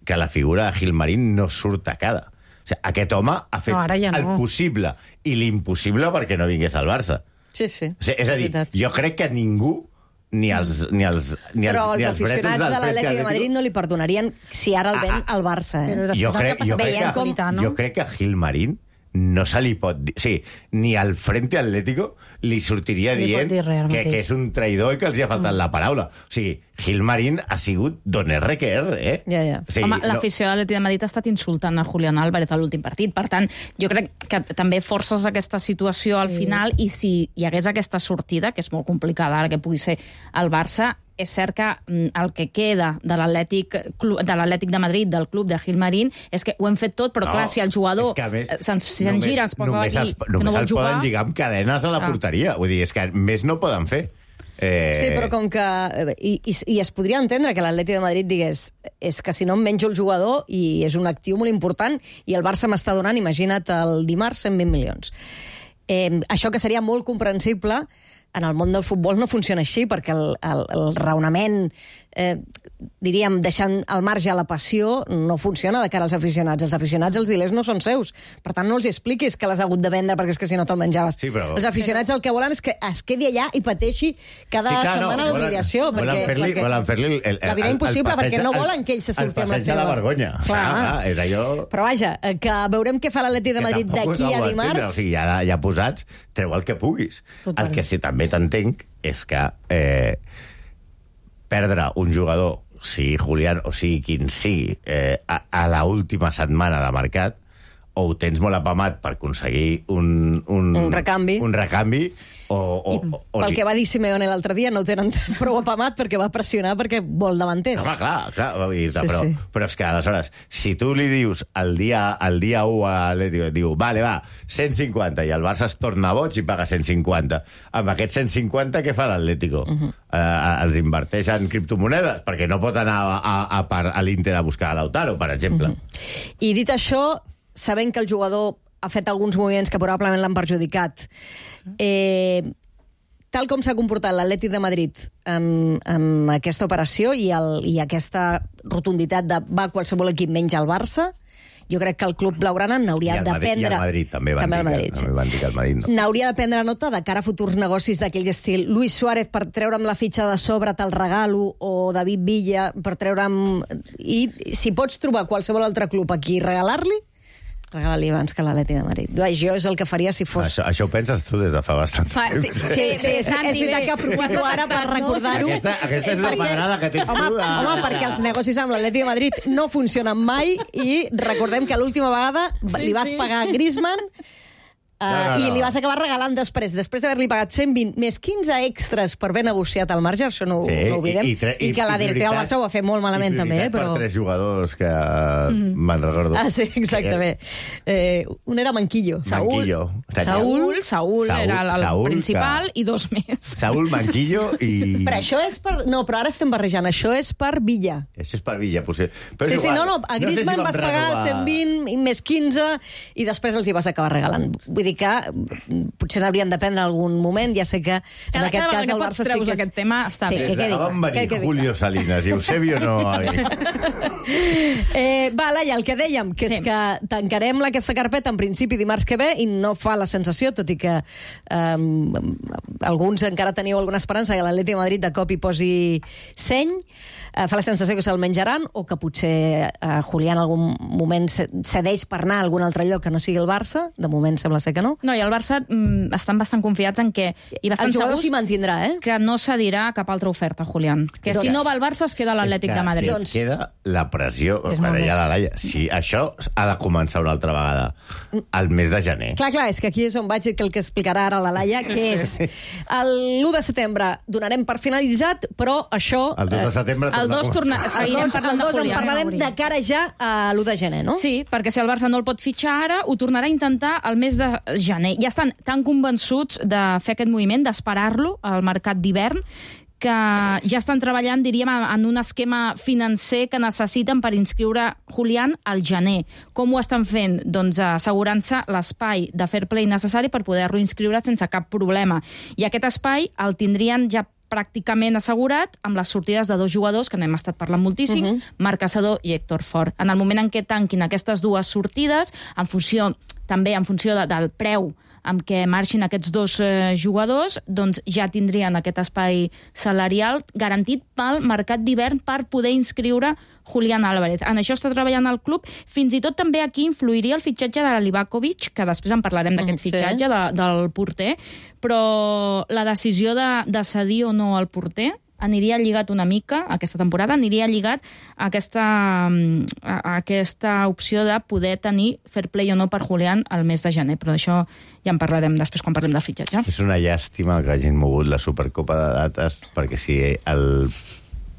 que la figura de Gilmarín no surt tacada. O sigui, aquest home ha fet No, ara ja no. el possible i l'impossible perquè no vingués al Barça. Sí, sí. O sigui, és a dir, veritat. jo crec que ningú, ni els, ni els, ni els, Però ni els els bretos aficionats del de l'Atlètic de Atlético- Madrid no li perdonarien si ara el ven Ah, ah. al Barça. Però Eh? després Jo del crec, que ha jo, passat crec veient que, com- no? jo crec que a Gilmarín no se li pot dir... O sigui, ni al Frente Atlético li sortiria Li pot dient dir res ara que, mateix. que és un traïdor i que els hi ha faltat mm. la paraula. O sigui, Gilmarín ha sigut don R que R, eh? Ja, ja. O sigui, Home, no- l'afició de l'Atlètic de Madrid ha estat insultant a Julián Álvarez a l'últim partit. Per tant, jo crec que també forces aquesta situació al final, i si hi hagués aquesta sortida, que és molt complicada ara que pugui ser el Barça, és cert que mm, el que queda de l'Atlètic Clu- de l'Atlètic de Madrid, del club de Gilmarín, és que ho hem fet tot, però No, clar, si el jugador és que, a més, eh, se'n si només- se'n gira, es posa només aquí, es- que només no vol el jugar... poden lligar amb cadenes a la Ah. porteria. Vull dir, és que més no poden fer. Eh... Sí, però com que... eh, I, i, I es podria entendre que l'Atlètic de Madrid digués és que si no em menjo el jugador i és un actiu molt important i el Barça m'està donant, imagina't, el dimarts cent vint milions. Eh, això que seria molt comprensible, en el món del futbol no funciona així, perquè el, el, el raonament, eh, diríem, deixant al marge la passió, no funciona de cara als aficionats. Els aficionats, els diners no són seus. Per tant, no els expliquis que l'has hagut de vendre perquè és que si no te'l menjaves. Sí, però- Els aficionats el que volen és que es quedi allà i pateixi cada Sí, clar, no, setmana volen- l'humiliació. volen perquè- fer-li- perquè volen fer-li el- el- la vida el- impossible, el passeig perquè de- no el- volen que ell se el surti amb la passeig de seva... la vergonya. Clar. Ah, ah, és allò... Però vaja, eh, que veurem què fa l'Atlètic de Que Madrid tampoc d'aquí ho a acabo d'entendre. dimarts. O sigui, ja, ja posats, treu el que puguis. Total. El que sí també t'entenc és que eh, perdre un jugador, sigui Julián o sigui quin sigui, eh, a, a la última setmana de mercat, o ho tens molt apamat per aconseguir un, un, un recanvi, un recanvi o, o, I, o, pel que va dir Simeone l'altre dia, no ho tenen prou apamat perquè va pressionar perquè vol davanters. Home, clar, clar, va dir, Sí, però, sí. però és que aleshores, si tu li dius el dia, el dia u a l'Atlético, diu, vale, va, cent cinquanta, i el Barça es torna boig i paga cent cinquanta. Amb aquests cent cinquanta, què fa l'Atlético? Uh -huh. eh, els inverteix en criptomonedes, perquè no pot anar a, a, a, a, a l'Inter a buscar a Lautaro, per exemple. Uh -huh. I dit això, sabent que el jugador ha fet alguns moviments que probablement l'han perjudicat, eh, tal com s'ha comportat l'Atlètic de Madrid en, en aquesta operació i, el, i aquesta rotunditat de va qualsevol equip menys el Barça, jo crec que el club blaugrana n'hauria de prendre... I el Madrid també van, també dir, Madrid, que, sí. també van dir que el Madrid no. N'hauria de prendre nota de cara a futurs negocis d'aquell estil. Luis Suárez per treure'm la fitxa de sobre te'l regalo, o David Villa per treure'm... I si pots trobar qualsevol altre club aquí i regalar-li, regalar-li abans que l'Atlètic de Madrid. Jo és el que faria si fos... Això, això ho penses tu des de fa bastant Fa, temps. sí, Sí, sí, és, és veritat que aprofito ara per recordar-ho. Aquesta, aquesta és la Perquè- pedrada que tens home, tu. De... home, perquè els negocis amb l'Atlètic de Madrid no funcionen mai i recordem que l'última vegada li vas pagar a Griezmann Uh, No, no, no. i li vas acabar regalant després, després d'haver-li pagat cent vint més quinze extras per haver negociat al marge, això no, Sí, no ho oblidem, i, i, tre- i que la directiva del Barça ho va fer molt malament també, eh, però... per tres jugadors que mm. me'n recordo. Ah, sí, exactament. Eh, un era Manquillo. Manquillo. Saúl, Saúl, Saúl, era el Saúl, principal que- i dos més. Saúl, Manquillo i... Però això és per... No, però ara estem barrejant. Això és per Villa. Això és per Villa, potser. Però Sí, és sí, igual. no, no, a Griezmann sé si vas vam pagar renovar- cent vint i més quinze i després els hi vas acabar regalant. Vull dir que potser n'hauríem de prendre algun moment, ja sé que en Cada, aquest cada cas vegada que el pots Barça sí treus que és... aquest tema està Sí, bé. que Des de quedi que van clar, venir que quedi Julio Salinas i Eusebio no... Eh, va, Laia, el que dèiem, que és Sí. que tancarem aquesta carpeta en principi dimarts que ve i no fa la sensació, tot i que eh, alguns encara teniu alguna esperança que l'Atlètic de Madrid de cop hi posi seny, eh, fa la sensació que se'l menjaran o que potser eh, Julián en algun moment cedeix per anar a algun altre lloc que no sigui el Barça. De moment sembla ser que no. No, i el Barça mm, estan bastant confiats en que... I bastant El jugador segurs s'hi mantindrà, eh? que no cedirà cap altra oferta, Julián. Que Doncs- si no va al Barça es queda a l'Atlètic de Madrid. Si Doncs- es queda la pressió... És Per molt allà bé. la Laia, si això ha de començar una altra vegada al mes de gener. Clar, clar, és que aquí és on vaig, que el que explicarà ara la Laia, que és l'u de setembre donarem per finalitzat, però això... El dos de setembre... El torna a dos torna- començar. El seguirem dos, parlant el de dos en Julián. parlarem de cara ja a l'u de gener, no? Sí, perquè si el Barça no el pot fitxar ara, ho tornarà a intentar al mes de gener. Ja estan tan convençuts de fer aquest moviment, d'esperar-lo al mercat d'hivern, que ja estan treballant, diríem, en un esquema financer que necessiten per inscriure Julián al gener. Com ho estan fent? Doncs assegurant-se l'espai de fair play necessari per poder-lo inscriure sense cap problema. I aquest espai el tindrien ja pràcticament assegurat amb les sortides de dos jugadors que n'hem estat parlant moltíssim, uh -huh. Marc Caçador i Héctor Fort. En el moment en què tanquin aquestes dues sortides, en funció, també en funció de, del preu amb què marxin aquests dos eh, jugadors, doncs ja tindrien aquest espai salarial garantit pel mercat d'hivern per poder inscriure Julián Álvarez. En això està treballant el club. Fins i tot també aquí influiria el fitxatge de Livakovic, que després en parlarem d'aquest Mm, sí. fitxatge de, del porter, però la decisió de, de cedir o no al porter aniria lligat una mica, aquesta temporada, aniria lligat a aquesta, a, a aquesta opció de poder tenir fair play o no per Julián al mes de gener, però això ja en parlarem després quan parlem de fitxatge. És una llàstima que hagin mogut la Supercopa de dates, perquè si el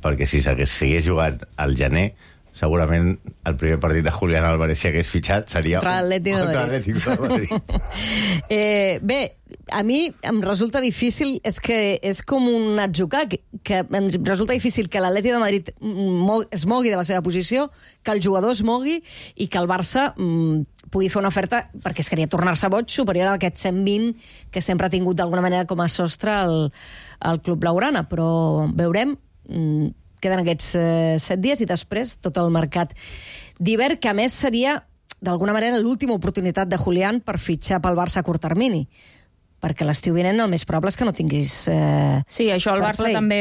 perquè si s'hagués sigués jugant al gener, segurament el primer partit de Julián Álvarez, si hagués fitxat, seria Contra l'Atlético de contra Madrid. l'Atlético de Madrid. Eh, bé, a mi em resulta difícil, és que és com un atzucac, que em resulta difícil que l'Atlètic de Madrid mo- es mogui de la seva posició, que el jugador es mogui i que el Barça mm, pugui fer una oferta, perquè es queria tornar-se boig, superior a aquest cent vint que sempre ha tingut d'alguna manera com a sostre el, el club blaugrana, però veurem. Mm, queden aquests eh, set dies i després tot el mercat d'hivern, que a més seria d'alguna manera l'última oportunitat de Julián per fitxar pel Barça a curt termini, perquè l'estiu vinent el més probable és que no tinguis... Eh, Sí, això el fair Barça play. també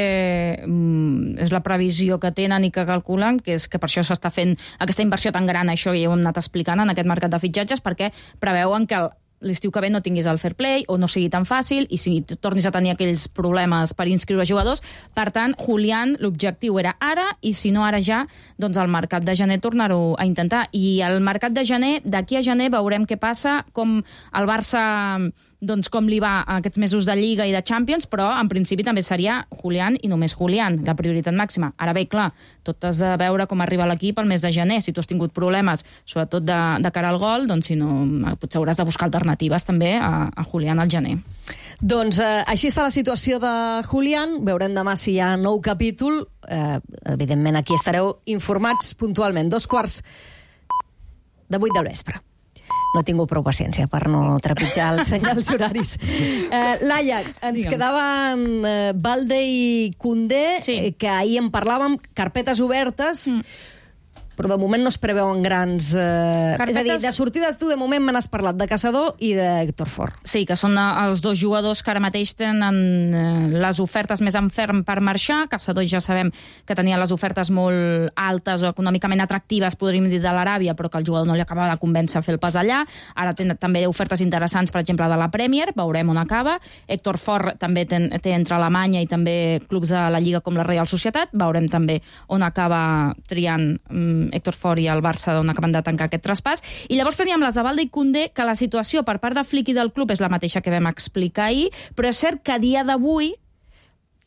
mm, és la previsió que tenen i que calculen, que és que per això s'està fent aquesta inversió tan gran, això ja ho hem anat explicant en aquest mercat de fitxatges, perquè preveuen que el l'estiu que ve no tinguis el fair play o no sigui tan fàcil i si tornis a tenir aquells problemes per inscriure jugadors. Per tant, Julián, l'objectiu era ara i si no ara ja, doncs al mercat de gener tornar-ho a intentar. I al mercat de gener, d'aquí a gener veurem què passa, com el Barça, doncs com li va aquests mesos de Lliga i de Champions, però en principi també seria Julián i només Julián, la prioritat màxima. Ara bé, clar, tot has de veure com arriba l'equip al mes de gener. Si tu has tingut problemes, sobretot de, de cara al gol, doncs si no, potser hauràs de buscar alternatives també a, a Julián al gener. Doncs eh, així està la situació de Julián. Veurem demà si hi ha nou capítol. Eh, evidentment, aquí estareu informats puntualment. Dos quarts de vuit del vespre. No he tingut prou paciència per no trepitjar els senyals horaris. Eh, Laia, ens Digue'm. quedaven eh, Balde i Koundé, Sí. eh, que ahir en parlàvem, carpetes obertes, mm. però de moment no es preveuen grans... Eh... Carpetes- És a dir, de sortides tu de moment me n'has parlat de Caçador i d'Héctor Fort. Sí, que són eh, els dos jugadors que ara mateix tenen eh, les ofertes més en ferm per marxar. Caçador ja sabem que tenia les ofertes molt altes o econòmicament atractives, podríem dir, de l'Aràbia, però que el jugador no li acabava de convèncer a fer el pas allà. Ara té també ofertes interessants, per exemple, de la Premier, veurem on acaba. Héctor Fort també té, té entre Alemanya i també clubs de la Lliga com la Real Societat. Veurem també on acaba triant mm, Héctor Fort i el Barça, on acaben de tancar aquest traspàs. I llavors teníem les de Balde i Koundé, que la situació per part de Flick i del club és la mateixa que vam explicar ahir, però és cert que a dia d'avui,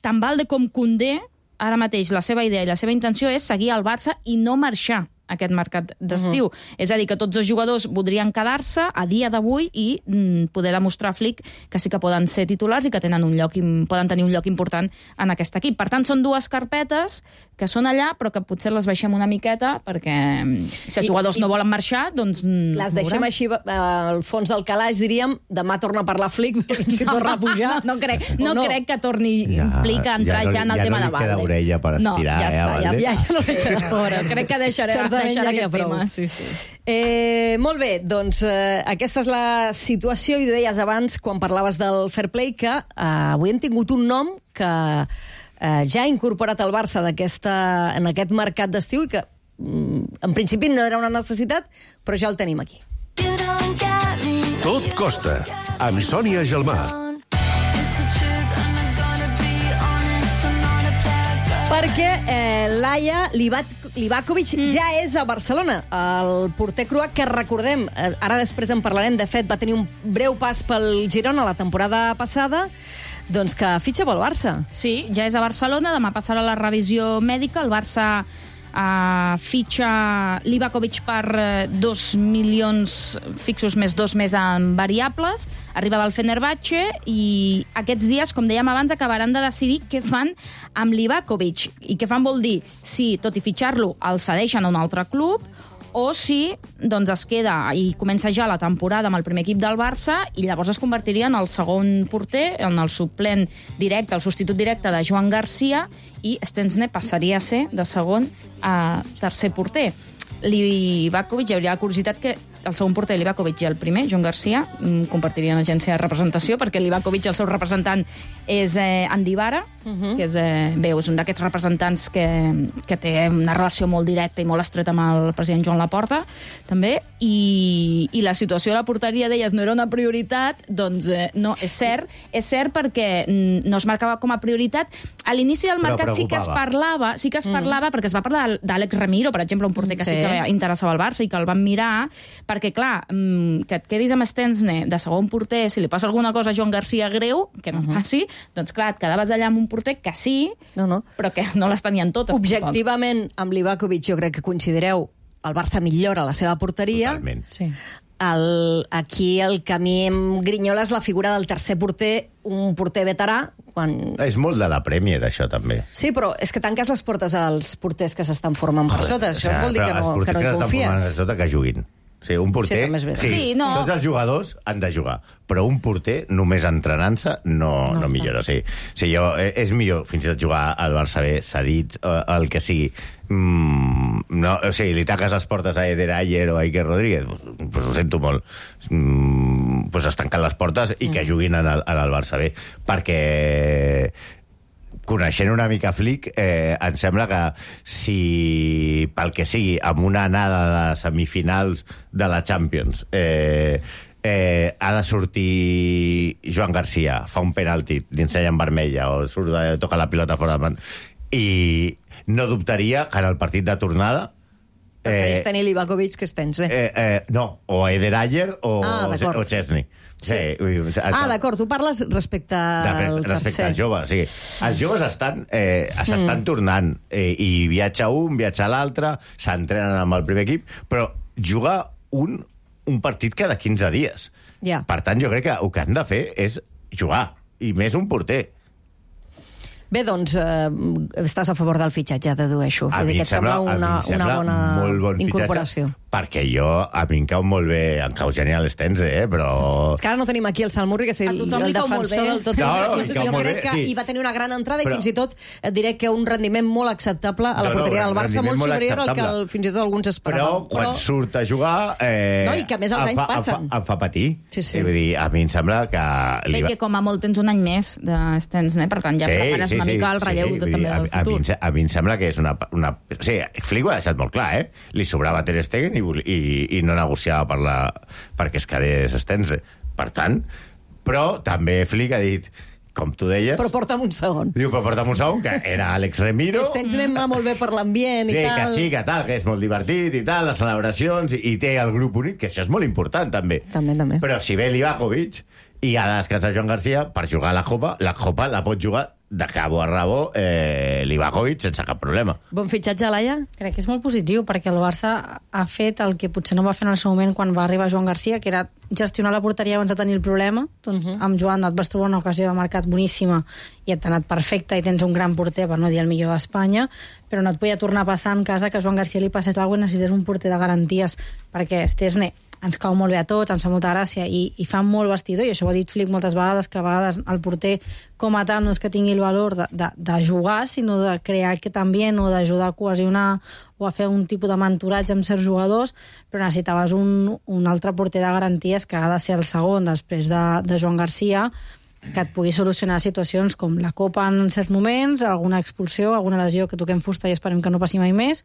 tant Balde com Koundé, ara mateix la seva idea i la seva intenció és seguir al Barça i no marxar aquest mercat d'estiu. Uh-huh. És a dir, que tots els jugadors voldrien quedar-se a dia d'avui i mm, poder demostrar a Flick que sí que poden ser titulars i que tenen un lloc, poden tenir un lloc important en aquest equip. Per tant, són dues carpetes que són allà, però que potser les baixem una miqueta perquè si els I, jugadors i, no volen marxar, doncs... Les deixem veurem. així eh, al fons del calaix, diríem, demà torna a parlar Flick, si torna a pujar. No, no, crec, no, O no? crec que torni Ja, Flick a entrar ja no ja, li- en el ja tema no de li Balde. queda orella per no, estirar, ja eh, està, a ja, Balde? ja, ja no sé què fora. Crec que deixaré, Certament deixaré ja n'hi ha aquest prou. tema. Sí, sí. Eh, molt bé, doncs eh, aquesta és la situació, i deies abans, quan parlaves del fair play, que eh, avui hem tingut un nom que eh, ja ha incorporat el Barça d'aquesta, en aquest mercat d'estiu i que mm, en principi no era una necessitat, però ja el tenim aquí. Tot costa, amb Sònia Gelmà. Perquè eh, Laia Livakovic mm. ja és a Barcelona. El porter croat, que recordem, eh, ara després en parlarem, de fet va tenir un breu pas pel Girona la temporada passada, doncs que fitxa pel Barça. Sí, ja és a Barcelona, demà passarà la revisió mèdica, el Barça uh, fitxa Livakovic per uh, dos milions fixos més dos més en variables, arriba del Fenerbahçe i aquests dies, com dèiem abans, acabaran de decidir què fan amb Livakovic. I què fan vol dir si, tot i fitxar-lo, el cedeixen a un altre club o si doncs, es queda i comença ja la temporada amb el primer equip del Barça i llavors es convertiria en el segon porter, en el suplent directe, el substitut directe de Joan Garcia, i Stensne passaria a ser de segon a tercer porter. Livakovic, hi hauria la curiositat que el segon porter Livakovic i el primer, Joan Garcia, compartirien agència de representació, perquè Livakovic, el seu representant, és eh, Andy Vara, uh-huh. que és, eh, bé, és un d'aquests representants que, que té una relació molt directa i molt estreta amb el president Joan Laporta, també, i, i la situació de la porteria d'elles no era una prioritat, doncs eh, no, és cert, és cert perquè no es marcava com a prioritat. A l'inici del mercat sí que es parlava, sí que es parlava, mm. perquè es va parlar d'Àlex Ramiro, per exemple, un porter que sí, sí que interessava al Barça i que el van mirar, perquè, clar, que et quedis amb Stensne de segon porter, si li passa alguna cosa a Joan Garcia greu, que no uh-huh. passi, doncs, clar, et quedaves allà amb un porter que sí, no, no. però que no les tenien totes. Objectivament, tampoc. Amb Livakovic jo crec que coincidireu, el Barça millora la seva porteria. Totalment. Sí. El, aquí el camí em grinyola és la figura del tercer porter, un porter veterà. Quan... És molt de la Premier, això, també. Sí, però és que tanques les portes als porters que s'estan formant per sota. Això o sigui, vol dir que no, que no hi confies. Els sota que juguin. Sí, un porter... Sí, sí, sí, no. Tots els jugadors han de jugar, però un porter, només entrenant-se, no, no, no millora. Sí. Sí, jo, és millor fins i tot jugar al Barça B, cedits, el que sigui. Mm, no, o sigui, li taques les portes a Eder Ayer o a Iker Rodríguez, pues, pues ho sento molt. Mm, pues es tanquen les portes i que juguin en el, en el Barça B, perquè... Coneixent una mica Flick, eh, em sembla que si, pel que sigui, amb una anada de semifinals de la Champions, eh, eh, ha de sortir Joan Garcia, fa un penalti, li ensenya en vermella, o surt, eh, toca la pilota fora de man, i no dubtaria que en el partit de tornada Prefereix eh, tenir Livakovic que Stenze. Eh, eh, no, o Eder Ayer o, ah, o Chesney. Sí. Sí. Ah, d'acord, tu parles respecte al de, respecte tercer. als joves, sí. Els joves estan, eh, s'estan mm. tornant, eh, i viatja un, viatja l'altre, s'entrenen amb el primer equip, però juga un, un partit cada quinze dies. Yeah. Per tant, jo crec que el que han de fer és jugar, i més un porter. Bé, doncs, eh, estàs a favor del fitxatge, dedueixo. A mi em sembla, una, a mi em sembla una bona molt bon incorporació. Fitxatge, perquè jo, a mi em cau molt bé, em cau genial Stenze, eh, però... És que ara no tenim aquí el Salmurri, que és el, el defensor del tot. No, no, jo crec que sí. hi va tenir una gran entrada però... i fins i tot et diré que un rendiment molt acceptable a la no, porteria no, del Barça, molt superior al que el, fins i tot alguns esperaven. Però quan però... surt a jugar... Eh, no, i que a més els anys fa, passen. Em fa, em fa patir. Sí, sí. Vull dir, a mi em sembla que... Bé, que com a molt tens un any més de Stenze, per tant ja sí, prepares sí, una sí, mica el relleu sí, de, també a, del a, futur. A mi, a mi em sembla que és una... una o sigui, Flick ho ha deixat molt clar, eh? Li sobrava Ter Stegen i, i, i no negociava per la, perquè es quedés Stenze. Per tant, però també Flick ha dit, com tu deies... Però porta'm un segon. Diu, però porta'm un segon, que era Alex Remiro... Stenze anem va molt bé per l'ambient i sí, tal. Que sí, que tal, que és molt divertit i tal, les celebracions, i, i té el grup unit, que això és molt important, també. També, també. Però si ve Livakovic i ha de descansar Joan Garcia, per jugar a la Copa, la Copa la pot jugar de cabo a rabo eh, Livakovic sense cap problema. Bon fitxatge, Laia? Crec que és molt positiu, perquè el Barça ha fet el que potser no va fer en el seu moment quan va arribar Joan Garcia, que era gestionar la porteria abans de tenir el problema. Doncs uh -huh. amb Joan et vas trobar una ocasió de mercat boníssima i et ha anat perfecte i tens un gran porter, per no dir el millor d'Espanya, però no et podia tornar a passar en casa que a Joan Garcia li passés alguna cosa i necessités un porter de garanties, perquè Stenze ens cau molt bé a tots, ens fa molta gràcia i, i fa molt vestidor, i això ho ha dit Flick moltes vegades, que a vegades el porter com a tal no és que tingui el valor de, de, de jugar, sinó de crear aquest ambient o d'ajudar a cohesionar o a fer un tipus de mentoratge amb certs jugadors, però necessitaves un, un altre porter de garanties que ha de ser el segon després de, de Joan Garcia, que et pugui solucionar situacions com la Copa en certs moments, alguna expulsió, alguna lesió que toquem fusta i esperem que no passi mai més.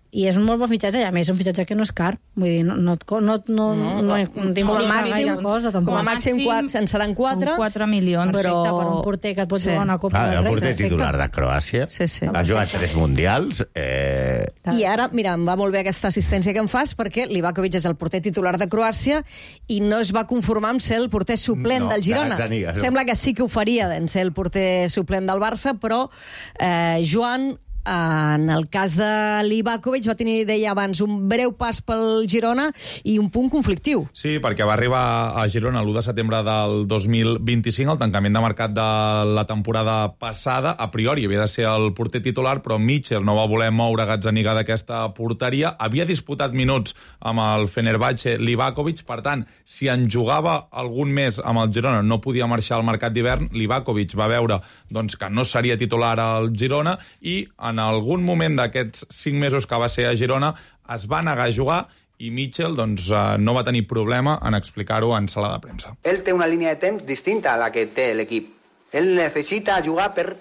I és un molt bon fitxatge, i a més un fitxatge que no és car. Vull dir, no, no, no, no, no, no, no com a màxim, cosa, com a màxim quatre, en seran quatre. quatre milions. Però... per un porter que et pot sí. jugar una Copa ah, del Rei. El porter titular de Croàcia. Sí, sí. Ha jugat tres mundials. Eh... I ara, mira, em va molt bé aquesta assistència que em fas, perquè Livakovic és el porter titular de Croàcia i no es va conformar amb ser el porter suplent no, del Girona. Ganiga, no. Sembla que sí que ho faria en ser el porter suplent del Barça, però eh, Joan... En el cas de Livakovic va tenir, deia abans, un breu pas pel Girona i un punt conflictiu. Sí, perquè va arribar a Girona l'u de setembre del dos mil vint-i-cinc, el tancament de mercat de la temporada passada. A priori havia de ser el porter titular, però Mitchell no va voler moure Gazzaniga d'aquesta porteria. Havia disputat minuts amb el Fenerbahce Livakovic, per tant, si en jugava algun més amb el Girona no podia marxar al mercat d'hivern. Livakovic va veure doncs, que no seria titular al Girona i en algun moment d'aquests cinc mesos que va ser a Girona es va negar a jugar i Mitchell doncs, no va tenir problema en explicar-ho en sala de premsa. Ell té una línia de temps distinta a la que té l'equip. Ell necessita jugar per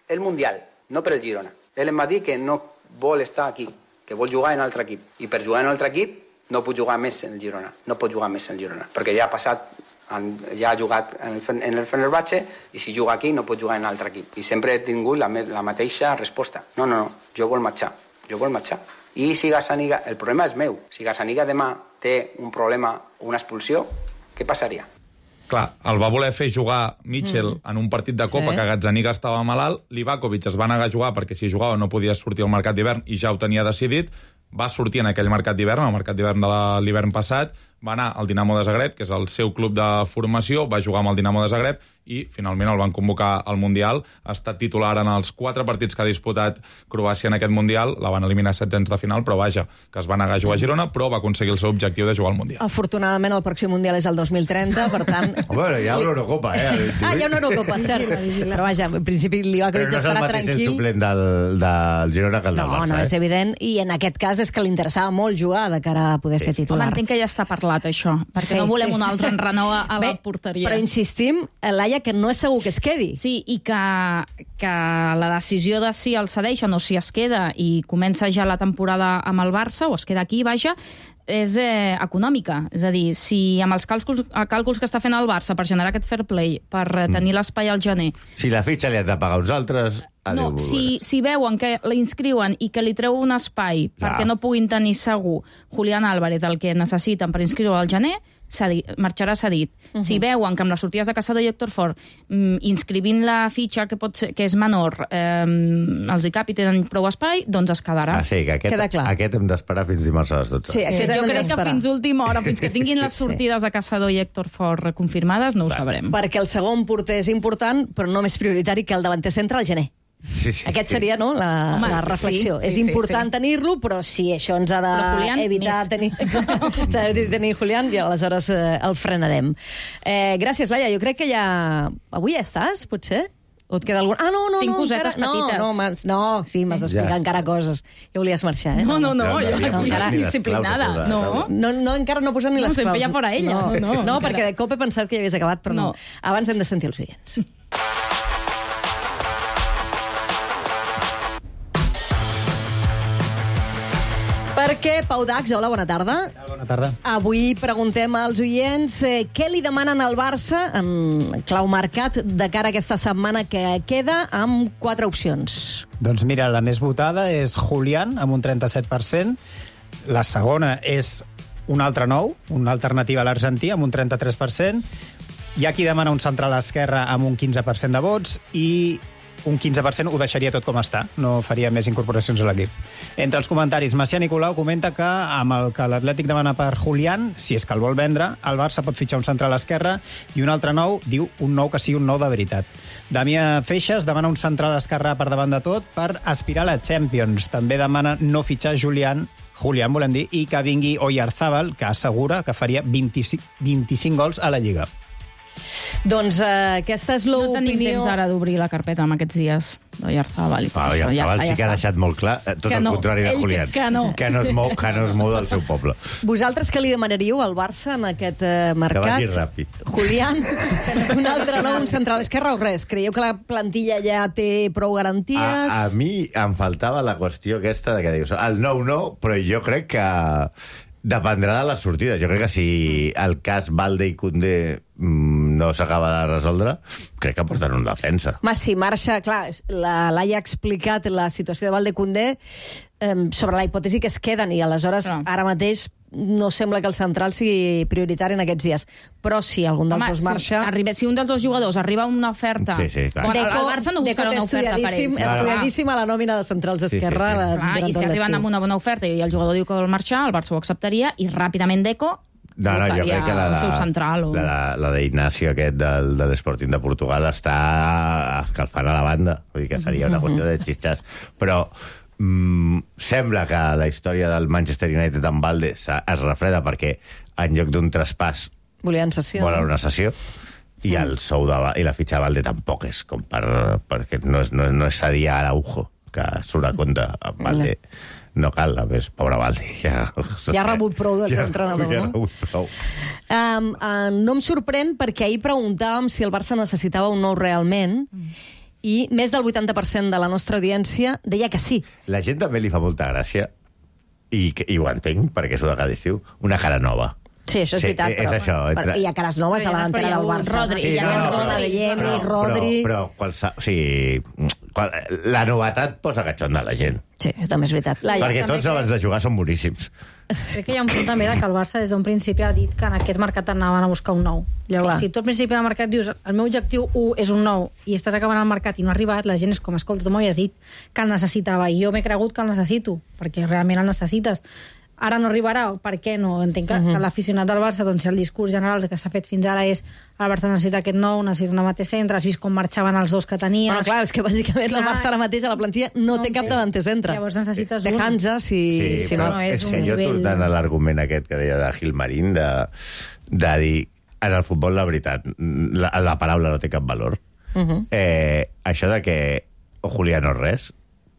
el Mundial, no per el Girona. Ell em va dir que no vol estar aquí, que vol jugar en altre equip. I per jugar en altre equip no pot jugar més en el Girona. No pot jugar més en el Girona, perquè ja ha passat ja ha jugat en el, en el Fenerbahce i si juga aquí no pot jugar en altre equip. I sempre he tingut la, la mateixa resposta. No, no, no, jo vol marxar. Jo vol marxar. I si Gazzaniga... El problema és meu. Si Gazzaniga demà té un problema o una expulsió, què passaria? Clar, el va voler fer jugar Mitchell mm. en un partit de Copa sí. que Gazzaniga estava malalt. Livakovic es va negar a jugar perquè si jugava no podia sortir al mercat d'hivern i ja ho tenia decidit. Va sortir en aquell mercat d'hivern, el mercat d'hivern de l'hivern passat, va anar al Dinamo de Zagreb, que és el seu club de formació, va jugar amb el Dinamo de Zagreb i finalment el van convocar al Mundial. Ha estat titular en els quatre partits que ha disputat Croàcia en aquest Mundial. La van eliminar setzents de final, però vaja, que es va negar a jugar a Girona, però va aconseguir el seu objectiu de jugar al Mundial. Afortunadament el pròxim Mundial és el dos mil trenta, per tant... Home, hi ha l'Eurocopa, eh? Ah, hi ha una Eurocopa, cert. Però vaja, en principi Livakovic no estarà tranquil. Però no és el mateix el suplent del, del Girona que el del no, Barça, no, eh? és evident, i en aquest cas és que li interessava molt jugar de cara a poder sí. ser titular. Home, entenc que ja està parlat, això, perquè sí, no volem sí. un altre enrenou a, a Bé, la porteria. Però insistim, Laia, que no és segur que es quedi. Sí, i que, que la decisió de si el cedeixen o si es queda i comença ja la temporada amb el Barça, o es queda aquí, vaja, és eh, econòmica. És a dir, si amb els càlculs, càlculs que està fent el Barça per generar aquest fair play, per mm. tenir l'espai al gener... Si la fitxa li han de pagar uns altres... No, si, si veuen que la inscriuen i que li treu un espai Clar. perquè no puguin tenir segur Julián Álvarez el que necessiten per inscriure al gener, cedi, marxarà cedit. Uh -huh. Si veuen que amb les sortides de Caçador i Héctor Fort, mm, inscrivint la fitxa que, pot ser, que és menor, eh, els I C A P i tenen prou espai, doncs es quedarà. Ah, sí, que aquest, aquest hem d'esperar fins dimarts a les dotze. Sí, sí, jo crec que fins última hora, fins que tinguin les sortides sí. de Caçador i Héctor Fort confirmades, no ho Clar. sabrem. Perquè el segon porter és important, però no més prioritari que el davanter centre al gener. Sí, sí, Aquest seria no, la, Home, la reflexió. sí, és sí, important sí. tenir-lo, però si això ens ha d'evitar de tenir, tenir, tenir Julián, i aleshores eh, el frenarem. Eh, gràcies, Laia. Jo crec que ja... Avui ja estàs, potser? O et queda algun... Ah, no, no, Tinc no, cosetes encara... petites. No, no, no sí, m'has d'explicar Ja. encara coses. Ja volies marxar, eh? No, no, no, No, jo no, aquí no, encara ni les disciplinada. claus, No, No, no, encara no posa ni No, les sempre claus. ja fora ella. No, No, no, no encara. perquè de cop he pensat que ja havies acabat, però no. No. Abans hem de sentir els oients. Perquè, Pau Dax, hola, bona tarda. Bona tarda. Avui preguntem als oients eh, què li demanen al Barça en clau mercat de cara a aquesta setmana que queda amb quatre opcions. Doncs mira, la més votada és Julián, amb un trenta-set per cent. La segona és un altre nou, una alternativa a l'argentí, amb un trenta-tres per cent. Hi ha qui demana un central a l'esquerra amb un quinze per cent de vots i un quinze per cent ho deixaria tot com està, no faria més incorporacions a l'equip. Entre els comentaris, Macià Nicolau comenta que amb el que l'Atlètic demana per Julián, si és que el vol vendre, el Barça pot fitxar un central a l'esquerra i un altre nou, diu un nou que sigui un nou de veritat. Damià Feixes demana un central a l'esquerra per davant de tot per aspirar a la Champions. També demana no fitxar Julián, Julián volem dir, i que vingui Oyarzábal, que assegura que faria vint-i-cinc, vint-i-cinc gols a la Lliga. Doncs eh, aquesta és l'opinió... No tenim temps ara d'obrir la carpeta amb aquests dies d'Oyarzabal i tot Ah, això. ja, Ja ja està, sí ja que ha està. deixat molt clar eh, tot Que el no. contrari de Ell que- Julián. que no. Que no es mou, que no es mou del seu poble. Vosaltres què li demanaríeu al Barça en aquest eh, mercat? Que vagi ràpid. Julián, un altre nou, un central esquerra o res? Creieu que la plantilla ja té prou garanties? A, a mi em faltava la qüestió aquesta de que dius, el nou no, però jo crec que dependrà de les sortides. Jo crec que si el cas Valde i Koundé mm, no s'acaba de resoldre, crec que porten una defensa. Home, si marxa, clar, la Laia ha explicat la situació de Valde Koundé eh, sobre la hipòtesi que es queden i aleshores Clar. ara mateix no sembla que el central sigui prioritari en aquests dies. Però si algun dels Home, dos marxa... si, arriba, si un dels dos jugadors arriba a una oferta... Sí, sí, clar. Quan el, el Barça no buscarà una oferta per ells. Estudiadíssim, estudiadíssim a la nòmina de centrals esquerra. Sí, sí, sí. la- Clar, durant I si tot arriben l'estiu. amb una bona oferta i el jugador diu que vol marxar, el Barça ho acceptaria i ràpidament Deco No, no, jo buscaria crec que la, el la, seu central. O... la, la d'Ignacio aquest del, de l'Sporting de Portugal està escalfant a la banda. Vull dir que seria una qüestió de xitxas. Però mm, sembla que la història del Manchester United amb Valde es refreda perquè en lloc d'un traspàs Volien sessió. volen una sessió i el sou de, i la fitxa de Valde tampoc és com per, perquè no és, no, és- no és cedir a Araujo, que surt a compte amb Valde. No cal, a més, pobre Valde. Ja, Ja ha rebut prou del seu ja, entrenador, ja ha no? rebut prou. Um, uh, no em sorprèn perquè ahir preguntàvem si el Barça necessitava un nou realment i més del vuitanta per cent de la nostra audiència deia que sí. La gent també li fa molta gràcia, i, que- i ho entenc, perquè és una cada estiu, una cara nova. Sí, això és Sí, veritat, és però, això, entre- però hi ha cares noves a la Però hi ha delantera del hagut Barça. Rodri, Sí, hi ha no, hagut no, la de Rodri, Yemi, però, Rodri... Però, però qualsa, o sigui, qual, la novetat posa catxonda a la gent. Sí, això també és veritat. Laia, perquè també tots que- abans de jugar són boníssims. Crec que hi ha un punt també de que el Barça des d'un principi ha dit que en aquest mercat anaven a buscar un nou. Llavors, Clar. si tu al principi del mercat dius el meu objectiu u és un nou i estàs acabant el mercat i no ha arribat, la gent és com, escolta, tu m'havies dit que el necessitava i jo m'he cregut que el necessito, perquè realment el necessites. Ara no arribarà, per què no? Entenc que, uh -huh. que l'aficionat del Barça, doncs, si el discurs general que s'ha fet fins ara és el Barça necessita aquest nou, necessita un davanter centre, has vist com marxaven els dos que tenies... Bueno, clar, és que bàsicament el Clar. Barça ara mateix a la plantilla no, No té en cap té. davanter centre. Llavors necessites Té un. Hansa, si, Sí, si però no. és és un que jo nivell- tornant a l'argument aquest que deia de Gilmarín, de, de dir, en el futbol, la veritat, la, la paraula no té cap valor. Uh -huh. eh, això de que Julián no és res,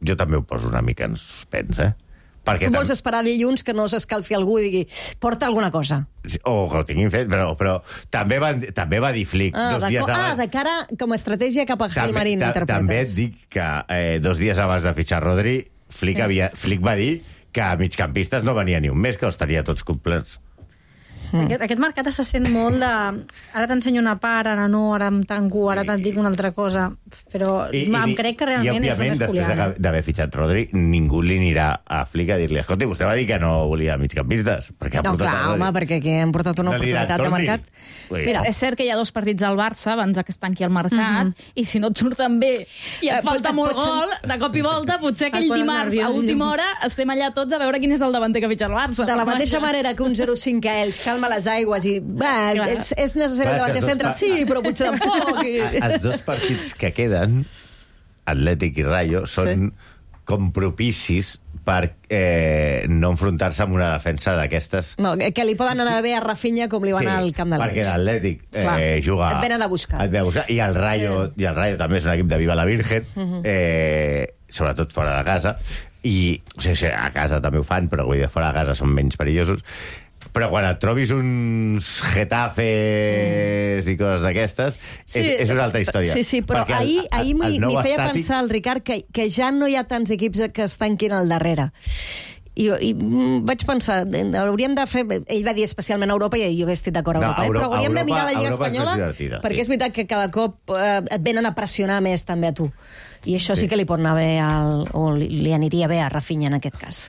jo també ho poso una mica en suspens, eh? Perquè Tu vols tam- esperar dilluns que no s'escalfi algú i digui porta alguna cosa. o que ho tinguin fet, però, però també, va, també va dir Flick Ah, dos de, dies co- ah, abans... de cara com a estratègia cap a Gilmarín, ta- interpretes. també et dic que eh, dos dies abans de fitxar Rodri, Flick, Sí. havia, Flick va dir que a migcampistes no venia ni un mes, que els tenia tots complerts. Mm. Aquest, aquest mercat està sent molt de... Ara t'ensenyo una part, ara no, ara em tanco, ara te'n dic una altra cosa, però I, em i, crec que realment és només Julián. I, òbviament, després d'haver fitxat Rodri, ningú li anirà a Flick a dir-li, escolta, vostè va dir que no volia migcampistes. Perquè ha no, clar, home, perquè aquí hem portat una no oportunitat de mercat. Mira, és cert que hi ha dos partits al Barça abans que es tanqui el mercat, mm-hmm. i si no et surten bé i et falta molt gol, de cop i volta, potser aquell dimarts a última hora estem allà tots a veure quin és el davanter que fitxa el Barça. De la mateixa manera que un zero cinc a Elx calma les aigües i va, és, és necessari davant de centre, sí, però potser tampoc. I... Els dos partits que queden, Atlètic i Rayo, són sí. com propicis per eh, no enfrontar-se amb una defensa d'aquestes... No, que li poden anar bé a Rafinha com li van sí, al camp de l'Elx. Perquè l'Atlètic eh, juga... Et venen a buscar. Et ve a buscar. I el Rayo, sí. i el Rayo també és un equip de Viva la Virgen, uh-huh. eh, sobretot fora de casa, i o sigui, a casa també ho fan, però vull dir, fora de casa són menys perillosos. Però quan et trobis uns Getafes i coses d'aquestes, sí, és, és una altra història. Sí, sí, però perquè ahir, el, ahir m'hi feia estàtic... pensar el Ricard que, que ja no hi ha tants equips que es tanquin al darrere. I, i vaig pensar, hauríem de fer... Ell va dir especialment a Europa, i jo hagués estat d'acord a Europa, no, Euro, eh? Però hauríem Europa, de mirar la Lliga Europa Espanyola, perquè sí. és veritat que cada cop eh, et venen a pressionar més també a tu. I això sí, sí que li pot anar bé al, o li, li aniria bé a Rafinha en aquest cas.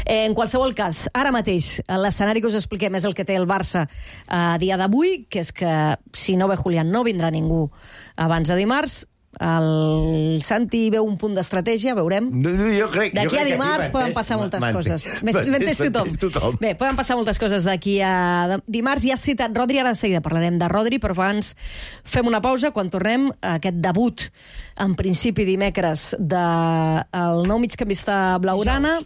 Eh, en qualsevol cas, ara mateix l'escenari que us expliquem és el que té el Barça a dia d'avui, que és que si no ve Julián no vindrà ningú abans de dimarts. El Santi veu un punt d'estratègia, veurem. No, no, jo crec, d'aquí jo a dimarts poden passar moltes coses. M'entens tothom. tothom. Bé, poden passar moltes coses d'aquí a dimarts. Ja has citat Rodri, ara de seguida parlarem de Rodri, però abans fem una pausa. Quan tornem a aquest debut, en principi dimecres, del nou migcampista blaugrana...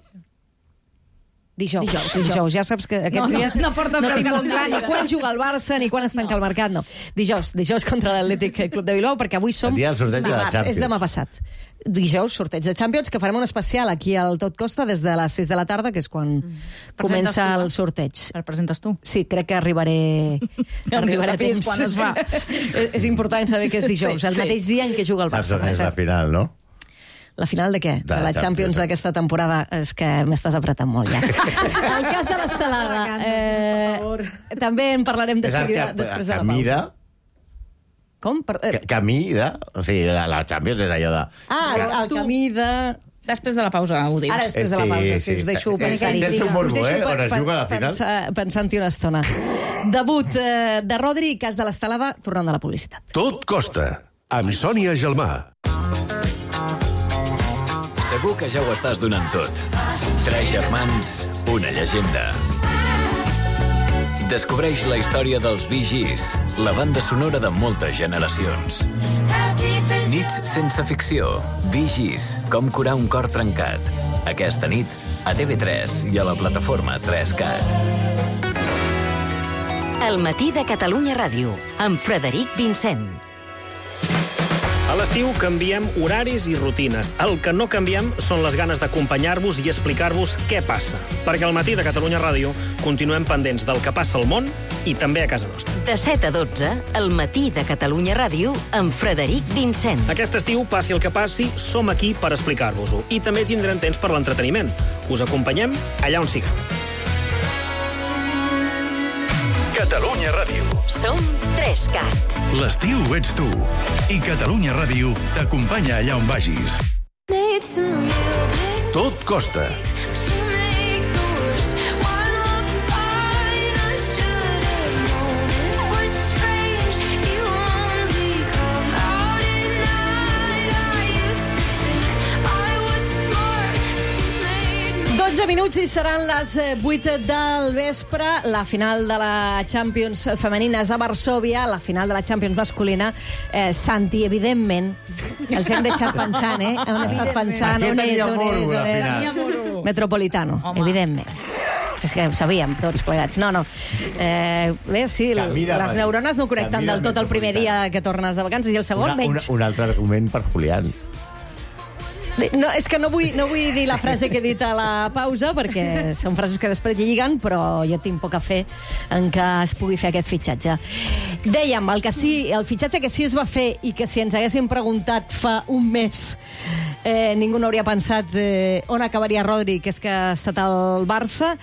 Dijous, dijous, dijous. dijous. Ja saps que aquests no, dies no, no, no tinc molt clar ni quan juga el Barça ni quan es tanca no. el mercat, no. Dijous, dijous contra l'Atlètic Club de Bilbao, perquè avui som... El dia del sorteig de la Champions. És demà passat. Dijous, sorteig de Champions, que farem un especial aquí al Tot Costa des de les sis de la tarda, que és quan mm. comença el sorteig. El presentes tu? Sí, crec que arribaré... arribaré a temps quan es fa. és, és important saber que és dijous, sí, el sí. mateix dia en què juga el Barça. És la final, no? La final de què? De, de la Champions d'aquesta temporada. És que m'estàs apretant molt, ja. El cas de l'estelada. Eh, també en parlarem de seguida que, després de la pausa. Mida, com? Per, eh. Camí de... O sigui, la, la Champions és allò de... Ah, el, el camí de... Després de la pausa ho dius. Ara després de la pausa, sí, si us deixo sí, pensar-hi. Tens un morbo, eh? On es juga a la final. Pensant-hi una estona. Debut eh, de Rodri, cas de l'estelada, tornant de la publicitat. Tot costa, amb Sònia Gelmà. Segur que ja ho estàs donant tot. Tres germans, una llegenda. Descobreix la història dels Bee Gees, la banda sonora de moltes generacions. Nits sense ficció. Bee Gees, com curar un cor trencat. Aquesta nit, a T V tres i a la plataforma tres cat. El matí de Catalunya Ràdio, amb Frederic Vincent. A l'estiu canviem horaris i rutines. El que no canviem són les ganes d'acompanyar-vos i explicar-vos què passa. Perquè al matí de Catalunya Ràdio continuem pendents del que passa al món i també a casa nostra. De set a dotze, el matí de Catalunya Ràdio amb Frederic Vincent. Aquest estiu, passi el que passi, som aquí per explicar-vos-ho. I també tindrem temps per l'entreteniment. Us acompanyem allà on sigueu. Catalunya Ràdio. Som tres cat. L'estiu ets tu. I Catalunya Ràdio t'acompanya allà on vagis. Tot costa. dotze minuts i seran les vuit del vespre. La final de la Champions femenina és a Varsòvia, la final de la Champions masculina. Eh, Santi, evidentment, els hem deixat pensant, eh? Hem estat pensant on és, on és, on és. Metropolitano, home. Evidentment. És que ho sabíem, tots plegats. No, no. Eh, bé, sí, les neurones no connecten del tot el primer dia que tornes de vacances i el segon, una, menys. Una, un altre argument per Julián. No, és que no vull, no vull dir la frase que he dit a la pausa, perquè són frases que després lliguen, però jo tinc poca fe en que es pugui fer aquest fitxatge. Dèiem, el, que sí, el fitxatge que sí es va fer i que si ens haguéssim preguntat fa un mes eh, ningú no hauria pensat eh, on acabaria Rodri, que és que ha estat al Barça.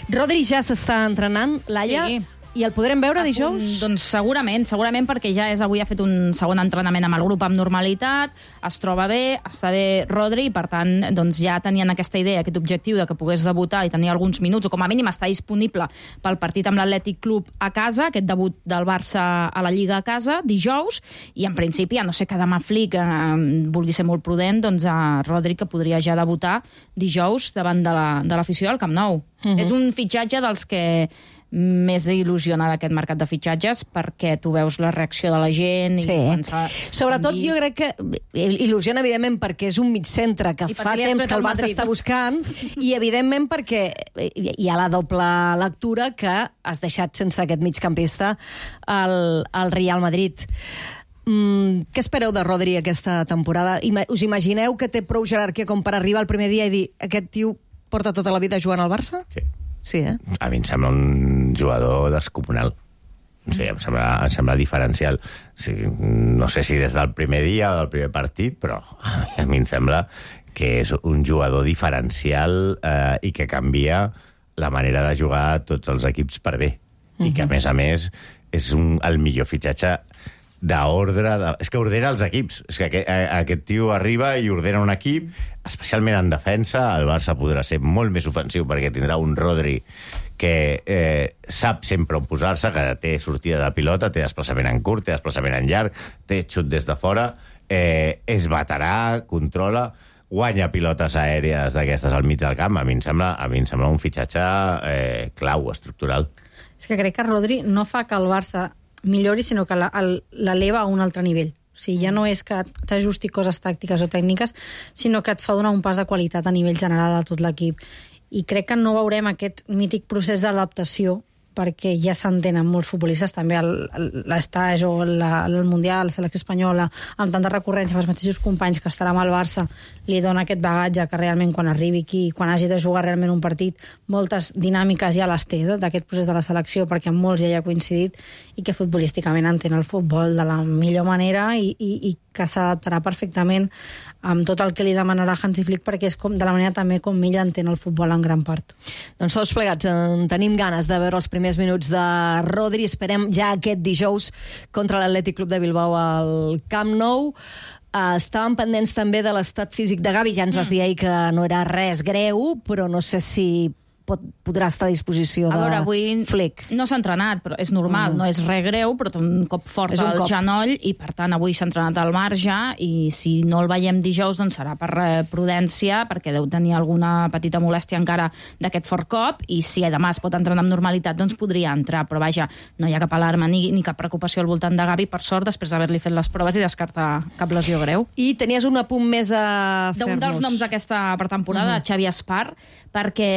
Rodri ja s'està entrenant, Laia. Sí. I el podrem veure dijous? Un, doncs segurament, segurament perquè ja és avui ha fet un segon entrenament amb el grup amb normalitat, es troba bé, està bé Rodri, i per tant doncs ja tenien aquesta idea, aquest objectiu de que pogués debutar i tenir alguns minuts, o com a mínim estar disponible pel partit amb l'Atlètic Club a casa, aquest debut del Barça a la Lliga a casa, dijous, i en principi, a no ser que demà Flick eh, vulgui ser molt prudent, doncs a Rodri, que podria ja debutar dijous davant de l'afició la, del Camp Nou. Uh-huh. És un fitxatge dels que més il·lusiona d'aquest mercat de fitxatges, perquè tu veus la reacció de la gent i sí. pensar... Sobretot jo crec que il·lusiona, evidentment, perquè és un mig centre que fa temps que el Barça està buscant, i evidentment perquè hi ha la doble lectura que has deixat sense aquest migcampista al, al Real Madrid. Mm, què espereu de Rodri aquesta temporada? Ima- us imagineu que té prou jerarquia com per arribar el primer dia i dir aquest tio porta tota la vida jugant al Barça? Sí. Sí, eh? A mi em sembla un jugador descomunal. O sigui, em sembla, em sembla diferencial. O sigui, no sé si des del primer dia o del primer partit, però a mi em sembla que és un jugador diferencial eh, i que canvia la manera de jugar a tots els equips per bé. Uh-huh. I que, a més a més, és un, el millor fitxatge d'ordre... De... És que ordena els equips. És que aquest, aquest tio arriba i ordena un equip, especialment en defensa. El Barça podrà ser molt més ofensiu perquè tindrà un Rodri que eh, sap sempre on posar-se, que té sortida de pilota, té desplaçament en curt, té desplaçament en llarg, té xut des de fora, eh, és veterà, controla, guanya pilotes aèries d'aquestes al mig del camp. A mi em sembla, a mi em sembla un fitxatge eh, clau, estructural. És que crec que Rodri no fa que el Barça millori, sinó que l'eleva a un altre nivell. O sigui, ja no és que t'ajusti coses tàctiques o tècniques, sinó que et fa donar un pas de qualitat a nivell general de tot l'equip. I crec que no veurem aquest mític procés d'adaptació, perquè ja s'entenen molts futbolistes, també l'estage o la, el Mundial, la selecció espanyola, amb tanta recurrència amb els mateixos companys que estarà amb el Barça, li dona aquest bagatge que realment quan arribi aquí, quan hagi de jugar realment un partit, moltes dinàmiques ja les té d'aquest procés de la selecció, perquè amb molts ja hi ha coincidit, i que futbolísticament entén el futbol de la millor manera i, i, i que s'adaptarà perfectament amb tot el que li demanarà Hansi Flick, perquè és com, de la manera també com ell entén el futbol en gran part. Doncs tots plegats en tenim ganes de veure els primers minuts de Rodri. Esperem ja aquest dijous contra l'Atlètic Club de Bilbao al Camp Nou. Uh, estàvem pendents també de l'estat físic de Gavi. Ja ens vas dir ahir que no era res greu, però no sé si pot, podrà estar a disposició de a veure, avui Flick. No s'ha entrenat, però és normal, mm. no és res greu, però té un cop fort un al cop. genoll i, per tant, avui s'ha entrenat al marge i si no el veiem dijous, doncs serà per eh, prudència, perquè deu tenir alguna petita molèstia encara d'aquest fort cop, i si demà es pot entrenar amb normalitat, doncs podria entrar. Però, vaja, no hi ha cap alarma ni, ni cap preocupació al voltant de Gavi, per sort, després d'haver-li fet les proves i descartar cap lesió greu. I tenies un apunt més a fer-nos. D'un dels noms d'aquesta pretemporada, mm-hmm. Xavi Espar, perquè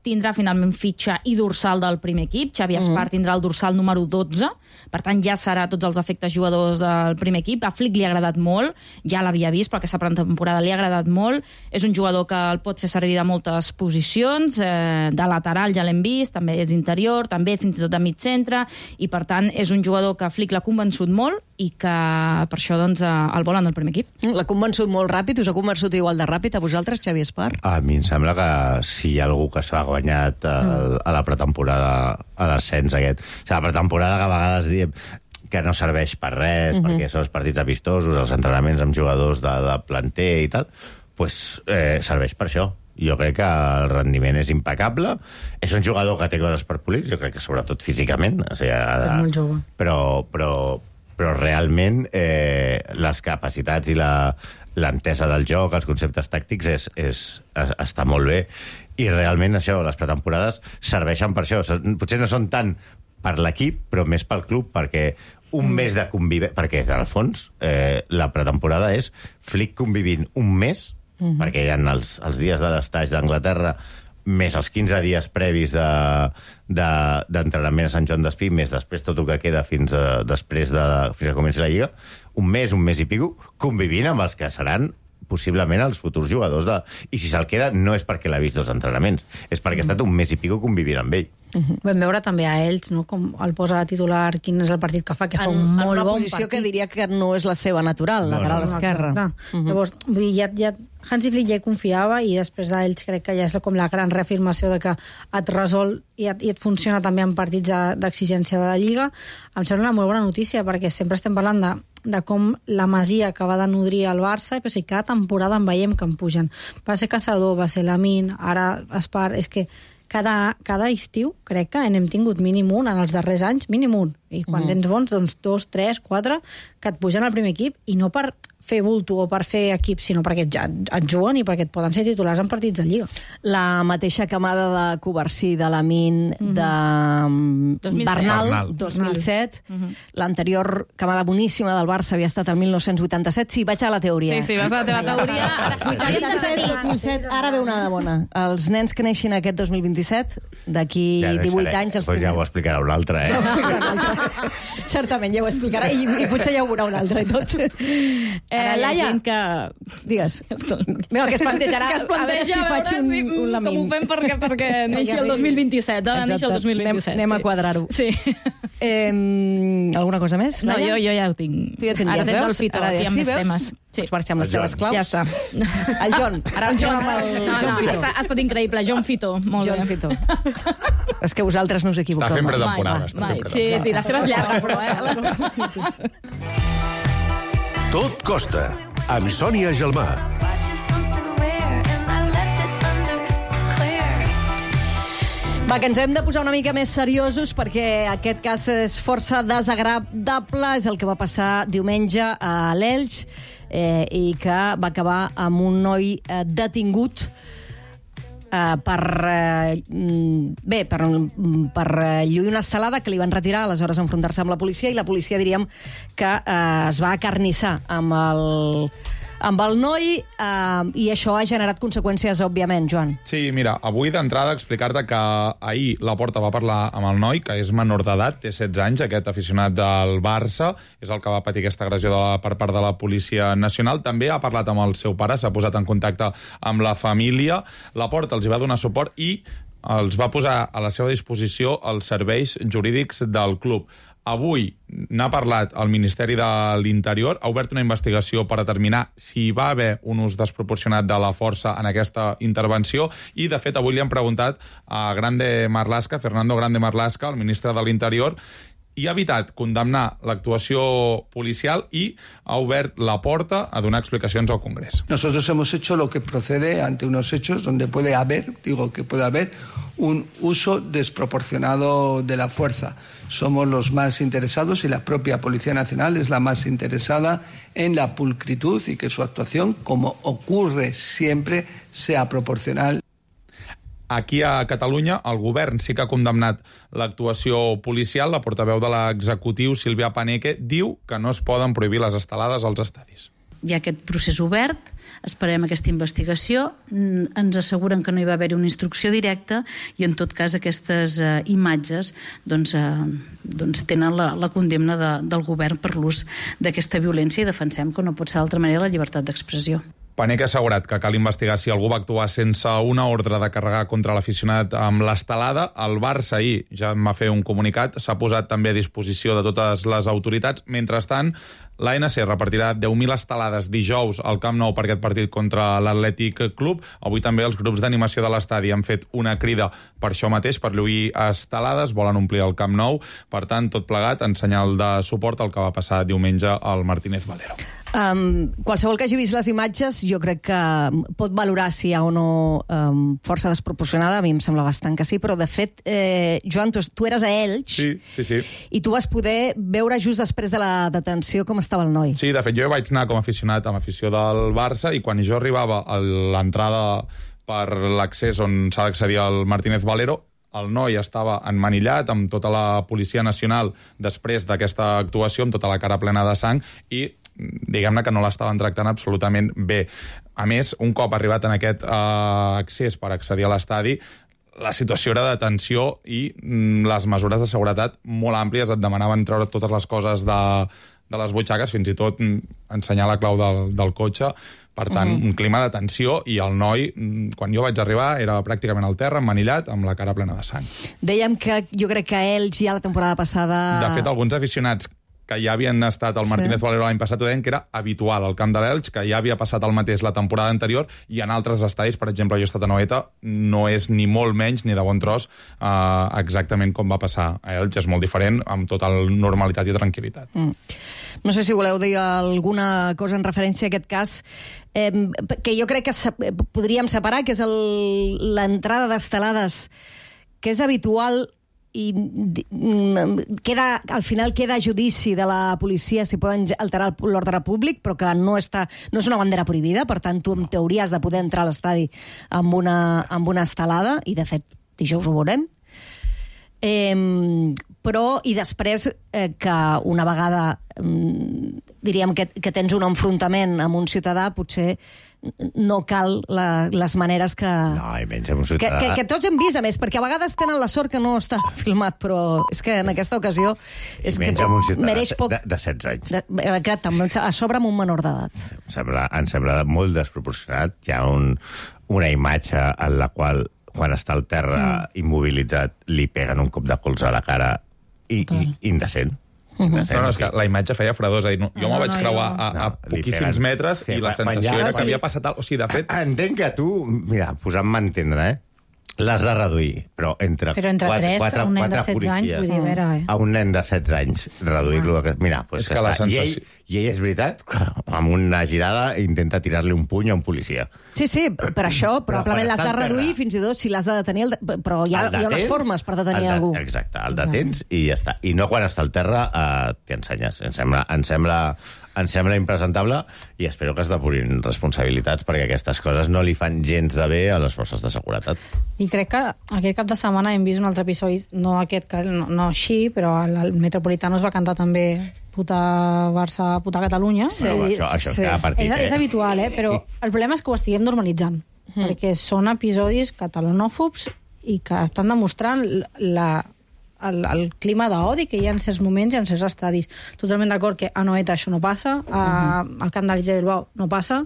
tindrà finalment fitxa i dorsal del primer equip. Xavi Espar mm. tindrà el dorsal número dotze, per tant ja serà tots els efectes jugadors del primer equip. A Flick li ha agradat molt, ja l'havia vist, però aquesta pretemporada li ha agradat molt. És un jugador que el pot fer servir de moltes posicions, eh, de lateral ja l'hem vist, també és interior, també fins i tot de mig centre, i per tant és un jugador que Flick l'ha convençut molt i que per això doncs, el volen del primer equip. L'ha convençut molt ràpid? Us ha convençut igual de ràpid a vosaltres, Xavi Espar? A mi em sembla que si hi ha algú que s'ha guanyat a, a la pretemporada, a l'ascens aquest. O sigui, la pretemporada que a vegades diem que no serveix per res, uh-huh. perquè són els partits amistosos, els entrenaments amb jugadors de, de planter i tal, pues, eh, serveix per això. Jo crec que el rendiment és impecable. És un jugador que té coses per polir, jo crec que sobretot físicament. O sigui, és molt jove. Però, però, però realment eh, les capacitats i la, l'entesa del joc, els conceptes tàctics, és, és, és, està molt bé. I realment això, les pretemporades serveixen per això. Potser no són tant per l'equip, però més pel club, perquè un mes de convivència... Perquè, en el fons, eh, la pretemporada és Flick convivint un mes, uh-huh. perquè hi ha els, els dies de l'estatge d'Anglaterra, més els quinze dies previs de, de, d'entrenament a Sant Joan d'Espí, més després tot el que queda fins a, després de, fins a comenci la Lliga, un mes, un mes i pico, convivint amb els que seran possiblement els futurs jugadors de... I si se'l queda no és perquè l'ha vist dos entrenaments, és perquè ha estat un mes i pico convivint amb ell. Uh-huh. Vam veure també a ells, no? Com el posa titular, quin és el partit que fa, que fa en, un molt bon partit. En una posició que diria que no és la seva natural, no, lateral no, esquerra. No, uh-huh. Llavors, vull dir, ja, ja, Hansi Flick ja hi confiava i després d'ells crec que ja és com la gran reafirmació de que et resol i et, i et funciona també en partits d'exigència de la Lliga. Em sembla una molt bona notícia perquè sempre estem parlant de, de com la Masia acaba de nodrir el Barça i però, sí, cada temporada en veiem que en pugen. Va ser Caçador, va ser Lamine, ara Espar... És que cada, cada estiu crec que n'hem tingut mínim un, en els darrers anys, mínim un. I quan mm. tens bons, doncs dos, tres, quatre, que et pugen al primer equip, i no per fer bulto o per fer equip, sinó perquè et, et juguen i perquè et poden ser titulars en partits de Lliga. La mateixa camada de Covarsí, de Lamine, mm-hmm. de dos mil set. Bernal, dos mil set. Mm-hmm. L'anterior camada boníssima del Barça havia estat el mil nou-cents vuitanta-set. Sí, vaig a la teoria. Sí, sí, vas a la teva teoria. vuitanta-set, dos mil set, ara ve una de bona. Els nens que neixin aquest dos mil vint-i-set, d'aquí ja divuit anys... Els pues ja ho explicarà un altre, eh? Ja ho explicarà un altre. Certament, ja ho explicarà, i, i potser ja ho veurà un altre i tot. Eh, Laia, que... Digues. Mira, que es plantejarà... Que es planteja a veure si, faig un, si un com ho fem perquè, perquè neixi el dos mil vint-i-set. Ha de néixer el dos mil vint-i-set. Anem, anem sí. a quadrar-ho. Sí. Eh, alguna cosa més, No, Laia? jo, jo ja ho tinc. Tu ja tenies, ara tens veus? el Fito, Ara aquí ja amb sí, més veus? temes. Sí. Pots marxar amb les teves claus. Ja està. El John. Ara el John amb el no, John no, Fito. ha, ha estat increïble. John Fito. Molt John bé. Fito. És que vosaltres no us equivoqueu. Està fent pretemporada. Mai, mai. Sí, sí, la seva és llarga, però... Eh? Tot costa, amb Sònia Gelmà. Va, que ens hem de posar una mica més seriosos perquè aquest cas és força desagradable. És el que va passar diumenge a l'Elx eh, i que va acabar amb un noi eh, detingut Uh, per, uh, bé, per, per uh, lluir una estelada que li van retirar, aleshores enfrontar-se amb la policia, i la policia diríem que uh, es va acarnissar amb el, amb el noi uh, i això ha generat conseqüències, òbviament, Joan. Sí, mira, avui d'entrada explicar-te que ahir la Porta va parlar amb el noi, que és menor d'edat, té setze anys, aquest aficionat del Barça, és el que va patir aquesta agressió de la, per part de la Policia Nacional. També ha parlat amb el seu pare, s'ha posat en contacte amb la família. La Porta els hi va donar suport i els va posar a la seva disposició els serveis jurídics del club. Avui n'ha parlat el Ministeri de l'Interior, ha obert una investigació per determinar si hi va haver un ús desproporcionat de la força en aquesta intervenció i, de fet, avui li han preguntat a Grande Marlaska, Fernando Grande Marlaska, el ministre de l'Interior, i ha evitat condemnar l'actuació policial i ha obert la porta a donar explicacions al Congrés. Nosotros hemos hecho lo que procede ante unos hechos donde puede haber, digo que puede haber, un uso desproporcionado de la fuerza. Somos los más interesados y la propia Policía Nacional es la más interesada en la pulcritud y que su actuación, como ocurre siempre, sea proporcional. Aquí a Catalunya el govern sí que ha condemnat l'actuació policial. La portaveu de l'executiu, Sílvia Paneque, diu que no es poden prohibir les estelades als estadis. Hi ha aquest procés obert, esperem aquesta investigació, ens asseguren que no hi va haver una instrucció directa i en tot cas aquestes eh, imatges doncs, eh, doncs tenen la, la condemna de, del govern per l'ús d'aquesta violència i defensem que no pot ser d'altra manera la llibertat d'expressió. Paneque ha assegurat que cal investigar si algú va actuar sense una ordre de carregar contra l'aficionat amb l'estelada. El Barça ahir ja en va fer un comunicat, s'ha posat també a disposició de totes les autoritats. Mentrestant, l'A N C repartirà deu mil estelades dijous al Camp Nou per aquest partit contra l'Atlètic Club. Avui també els grups d'animació de l'estadi han fet una crida per això mateix, per lluir estelades, volen omplir el Camp Nou. Per tant, tot plegat en senyal de suport al que va passar diumenge al Martínez Valero. Um, qualsevol que hagi vist les imatges jo crec que pot valorar si hi ha o no um, força desproporcionada. A mi em sembla bastant que sí, però de fet eh, Joan, tu, tu eres a Elx, sí, sí, sí. i tu vas poder veure just després de la detenció com estava el noi. Sí, de fet jo vaig anar com a aficionat amb afició del Barça i quan jo arribava a l'entrada per l'accés on s'ha d'accedir al Martínez Valero, el noi estava emmanillat amb tota la Policia Nacional després d'aquesta actuació, amb tota la cara plena de sang, i diguem-ne que no l'estaven tractant absolutament bé. A més, un cop arribat en aquest eh, accés per accedir a l'estadi, la situació era de tensió i mm, les mesures de seguretat molt àmplies, et demanaven treure totes les coses de, de les butxaques, fins i tot ensenyar la clau del, del cotxe. Per tant, uh-huh. un clima de tensió, i el noi, quan jo vaig arribar, era pràcticament al terra, emmanillat, amb la cara plena de sang. Dèiem que jo crec que ells ja la temporada passada... De fet, alguns aficionats que ja havien estat al Martínez sí. Valero l'any passat, ho deien que era habitual al camp de l'Elx, que ja havia passat el mateix la temporada anterior, i en altres estadis, per exemple, jo he estat a Noeta, no és ni molt menys ni de bon tros eh, exactament com va passar a Elx. És molt diferent, amb total normalitat i tranquil·litat. Mm. No sé si voleu dir alguna cosa en referència a aquest cas, eh, que jo crec que se podríem separar, que és l'entrada d'estelades, que és habitual, i queda, al final queda a judici de la policia si poden alterar l'ordre públic, però que no, està, no és una bandera prohibida, per tant tu en teoria has de poder entrar a l'estadi amb una, amb una estelada, i de fet dijous ho veurem. Eh, però, i després eh, que una vegada eh, diríem que, que tens un enfrontament amb un ciutadà, potser no cal la, les maneres que... No, i menys amb un ciutadà... Que, que, que tots hem vist, a més, perquè a vegades tenen la sort que no està filmat, però és que en aquesta ocasió... És I menys que amb un ciutadà mereix poc... de, de setze anys. De, que, a sobre amb un menor d'edat. Em sembla, em sembla molt desproporcionat. Hi ha un, una imatge en la qual, quan està al terra mm. immobilitzat, li peguen un cop de colze a la cara i, i indecent. Uh-huh. No, no, és que la imatge feia fredor, és a dir, no, jo no, me'l vaig no, creuar no. a, a no, poquíssims metres i la sensació era que havia passat... O sigui, de fet... Entenc que tu, mira, posant-me a entendre, eh? L'has de reduir, però entre, però entre quatre, tres, quatre, un nen quatre de setze anys, vull dir, a veure, eh? A un nen de setze anys, reduir-lo... Ah. Mira, pues és que la sensació... I ell, I ell, és veritat, amb una girada intenta tirar-li un puny a un policia. Sí, sí, per això probablement l'has de reduir, fins i tot si l'has de detenir... El de... Però hi ha, hi ha unes formes per detenir de... algú. Exacte, el detens i ja està. I no quan està al terra eh, t'hi ensenyes. Em sembla... Em sembla Em sembla impresentable, i espero que es depurin responsabilitats, perquè aquestes coses no li fan gens de bé a les forces de seguretat. I crec que aquest cap de setmana hem vist un altre episodi, no aquest, no, no així, però el Metropolitano es va cantar també puta Barça, puta Catalunya. Sí, bueno, això, això sí. Partit, és, eh? és habitual, eh? Però el problema és que ho estiguem normalitzant, mm. perquè són episodis catalanòfobs i que estan demostrant la... El, el clima d'odi que hi ha en certs moments i en certs estadis. Totalment d'acord que a Noeta això no passa, a, uh-huh. al camp de l'Illa de Bilbao no passa.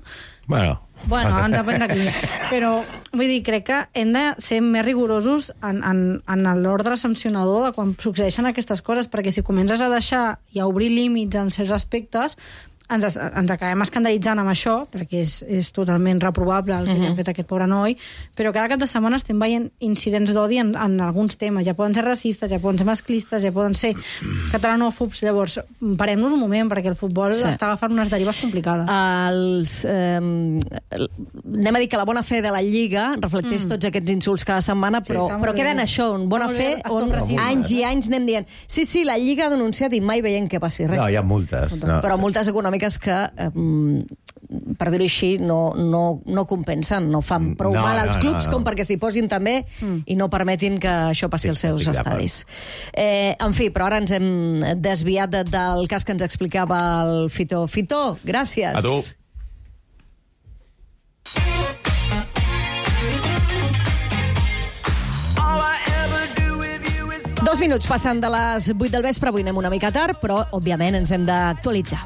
Bueno, bueno ens depèn de qui. Però, vull dir, crec que hem de ser més rigorosos en, en, en l'ordre sancionador de quan succeeixen aquestes coses, perquè si comences a deixar i a obrir límits en certs aspectes, ens, ens acabem escandalitzant amb això, perquè és, és totalment reprovable el que uh-huh. ha fet aquest pobre noi, però cada cap de setmana estem veient incidents d'odi en, en alguns temes. Ja poden ser racistes, ja poden ser masclistes, ja poden ser catalanòfobs. Llavors, parem-nos un moment, perquè el futbol sí. està agafant unes derives complicades. Els, eh, anem a dir que la bona fe de la Lliga reflecteix mm. tots aquests insults cada setmana, però, sí, però queda en això, en bona fe, on anys i anys anem dient sí, sí, la Lliga ha denunciat i mai veiem que passi res. No, hi ha multes. No. Però multes econòmiques que, eh, per dir-ho així, no, no, no compensen, no fan prou no, mal als no, clubs no, no. com perquè s'hi posin també mm. i no permetin que això passi sí, als seus estadis. Eh, en fi, però ara ens hem desviat de, del cas que ens explicava el Fito. Fito, gràcies. A tu. Dos minuts passen de les vuit del vespre, avui anem una mica tard, però, òbviament, ens hem d'actualitzar.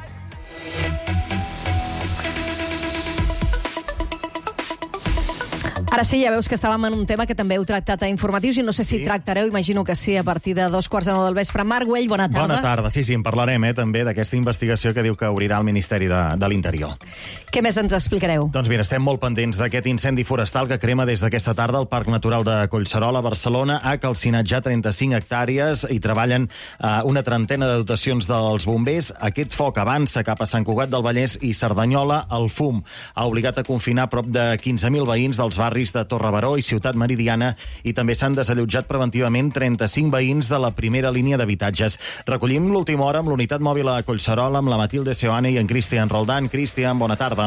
Ara sí, ja veus que estàvem en un tema que també heu tractat a informatius i no sé si sí. tractareu, imagino que sí, a partir de dos quarts de nou del vespre. Marc Güell, bona tarda. Bona tarda, sí, sí, en parlarem eh, també d'aquesta investigació que diu que obrirà el Ministeri de, de l'Interior. Què més ens explicareu? Doncs mira, estem molt pendents d'aquest incendi forestal que crema des d'aquesta tarda al Parc Natural de Collserola, a Barcelona. Ha calcinat ja trenta-cinc hectàrees i treballen eh, una trentena de dotacions dels bombers. Aquest foc avança cap a Sant Cugat del Vallès i Cerdanyola. El fum ha obligat a confinar prop de quinze mil veïns dels barris de Torrebaró i Ciutat Meridiana i també s'han desallotjat preventivament trenta-cinc veïns de la primera línia d'habitatges. Recollim l'última hora amb l'unitat mòbil a Collserola amb la Matilde Seoane i en Cristian Roldán. Cristian, bona tarda.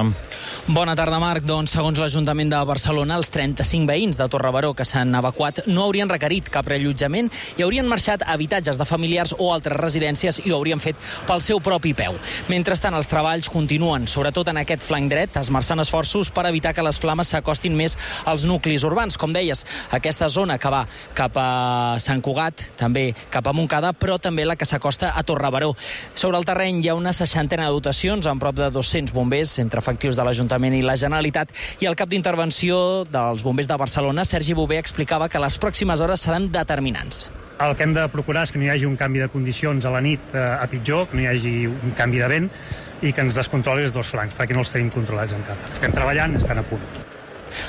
Bona tarda, Marc. Doncs, segons l'Ajuntament de Barcelona, els trenta-cinc veïns de Torrebaró que s'han evacuat no haurien requerit cap reallotjament i haurien marxat a habitatges de familiars o altres residències i ho haurien fet pel seu propi peu. Mentrestant, els treballs continuen, sobretot en aquest flanc dret, esmerçant esforços per evitar que les flames s'acostin més als nuclis urbans. Com deies, aquesta zona que va cap a Sant Cugat, també cap a Montcada, però també la que s'acosta a Torrebaró. Sobre el terreny hi ha una seixantena de dotacions, amb prop de dos-cents bombers, entre efectius de l'Ajuntament i la Generalitat, i el cap d'intervenció dels bombers de Barcelona, Sergi Bové, explicava que les pròximes hores seran determinants. El que hem de procurar és que no hi hagi un canvi de condicions a la nit eh, a pitjor, que no hi hagi un canvi de vent i que ens descontroli els dos flancs, perquè no els tenim controlats encara. Estem treballant, estan a punt.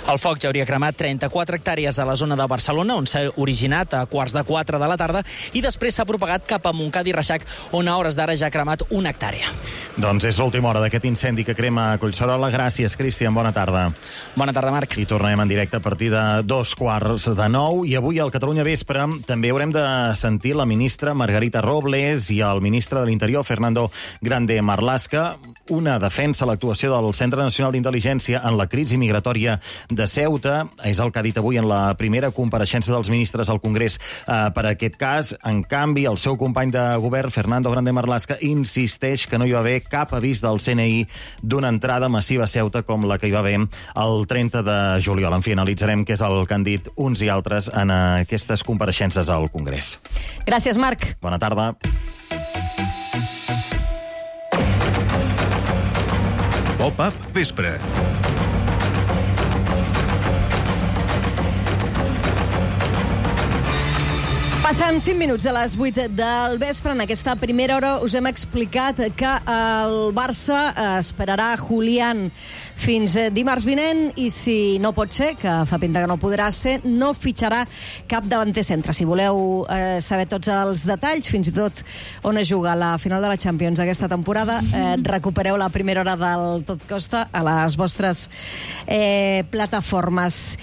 El foc ja hauria cremat trenta-quatre hectàrees a la zona de Barcelona, on s'ha originat a quarts de quatre de la tarda, i després s'ha propagat cap a Montcada i Reixac, on a hores d'ara ja ha cremat una hectàrea. Doncs és l'última hora d'aquest incendi que crema a Collserola. Gràcies, Cristian. Bona tarda. Bona tarda, Marc. I tornem en directe a partir de dos quarts de nou. I avui al Catalunya Vespre també haurem de sentir la ministra Margarita Robles i el ministre de l'Interior, Fernando Grande Marlaska, una defensa a l'actuació del Centre Nacional d'Intel·ligència en la crisi migratòria de Ceuta. És el que ha dit avui en la primera compareixença dels ministres al Congrés eh, per aquest cas. En canvi, el seu company de govern, Fernando Grande Marlaska, insisteix que no hi va haver cap avís del C N I d'una entrada massiva a Ceuta com la que hi va haver el trenta de juliol. En fi, analitzarem què és el que han dit uns i altres en aquestes compareixences al Congrés. Gràcies, Marc. Bona tarda. Pop-up Vespre. Passen cinc minuts de les vuit del vespre. En aquesta primera hora us hem explicat que el Barça esperarà Julián fins dimarts vinent i si no pot ser, que fa pinta que no podrà ser, no fitxarà cap davanter centre. Si voleu eh, saber tots els detalls, fins i tot on es juga la final de la Champions aquesta temporada, eh, recupereu la primera hora del Tot Costa a les vostres eh, plataformes.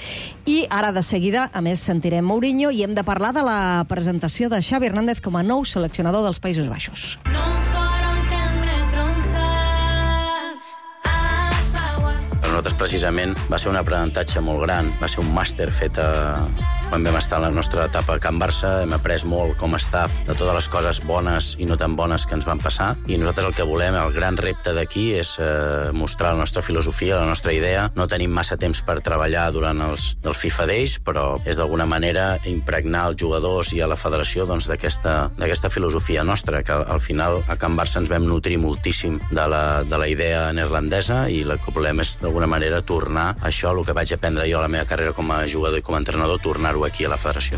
I ara, de seguida, a més, sentirem Mourinho i hem de parlar de la presentació de Xavi Hernández com a nou seleccionador dels Països Baixos. Per nosaltres, precisament, va ser un aprenentatge molt gran. Va ser un màster fet a... Quan vam estar en la nostra etapa a Can Barça, hem après molt com a staff de totes les coses bones i no tan bones que ens van passar. I nosaltres el que volem, el gran repte d'aquí, és eh, mostrar la nostra filosofia, la nostra idea. No tenim massa temps per treballar durant els, els FIFA Days, però és d'alguna manera impregnar els jugadors i a la federació doncs, d'aquesta d'aquesta filosofia nostra, que al final a Can Barça ens vam nutrir moltíssim de la, de la idea neerlandesa i el que volem és d'alguna manera tornar això, el que vaig aprendre jo a la meva carrera com a jugador i com a entrenador, tornar-ho aquí a la federació.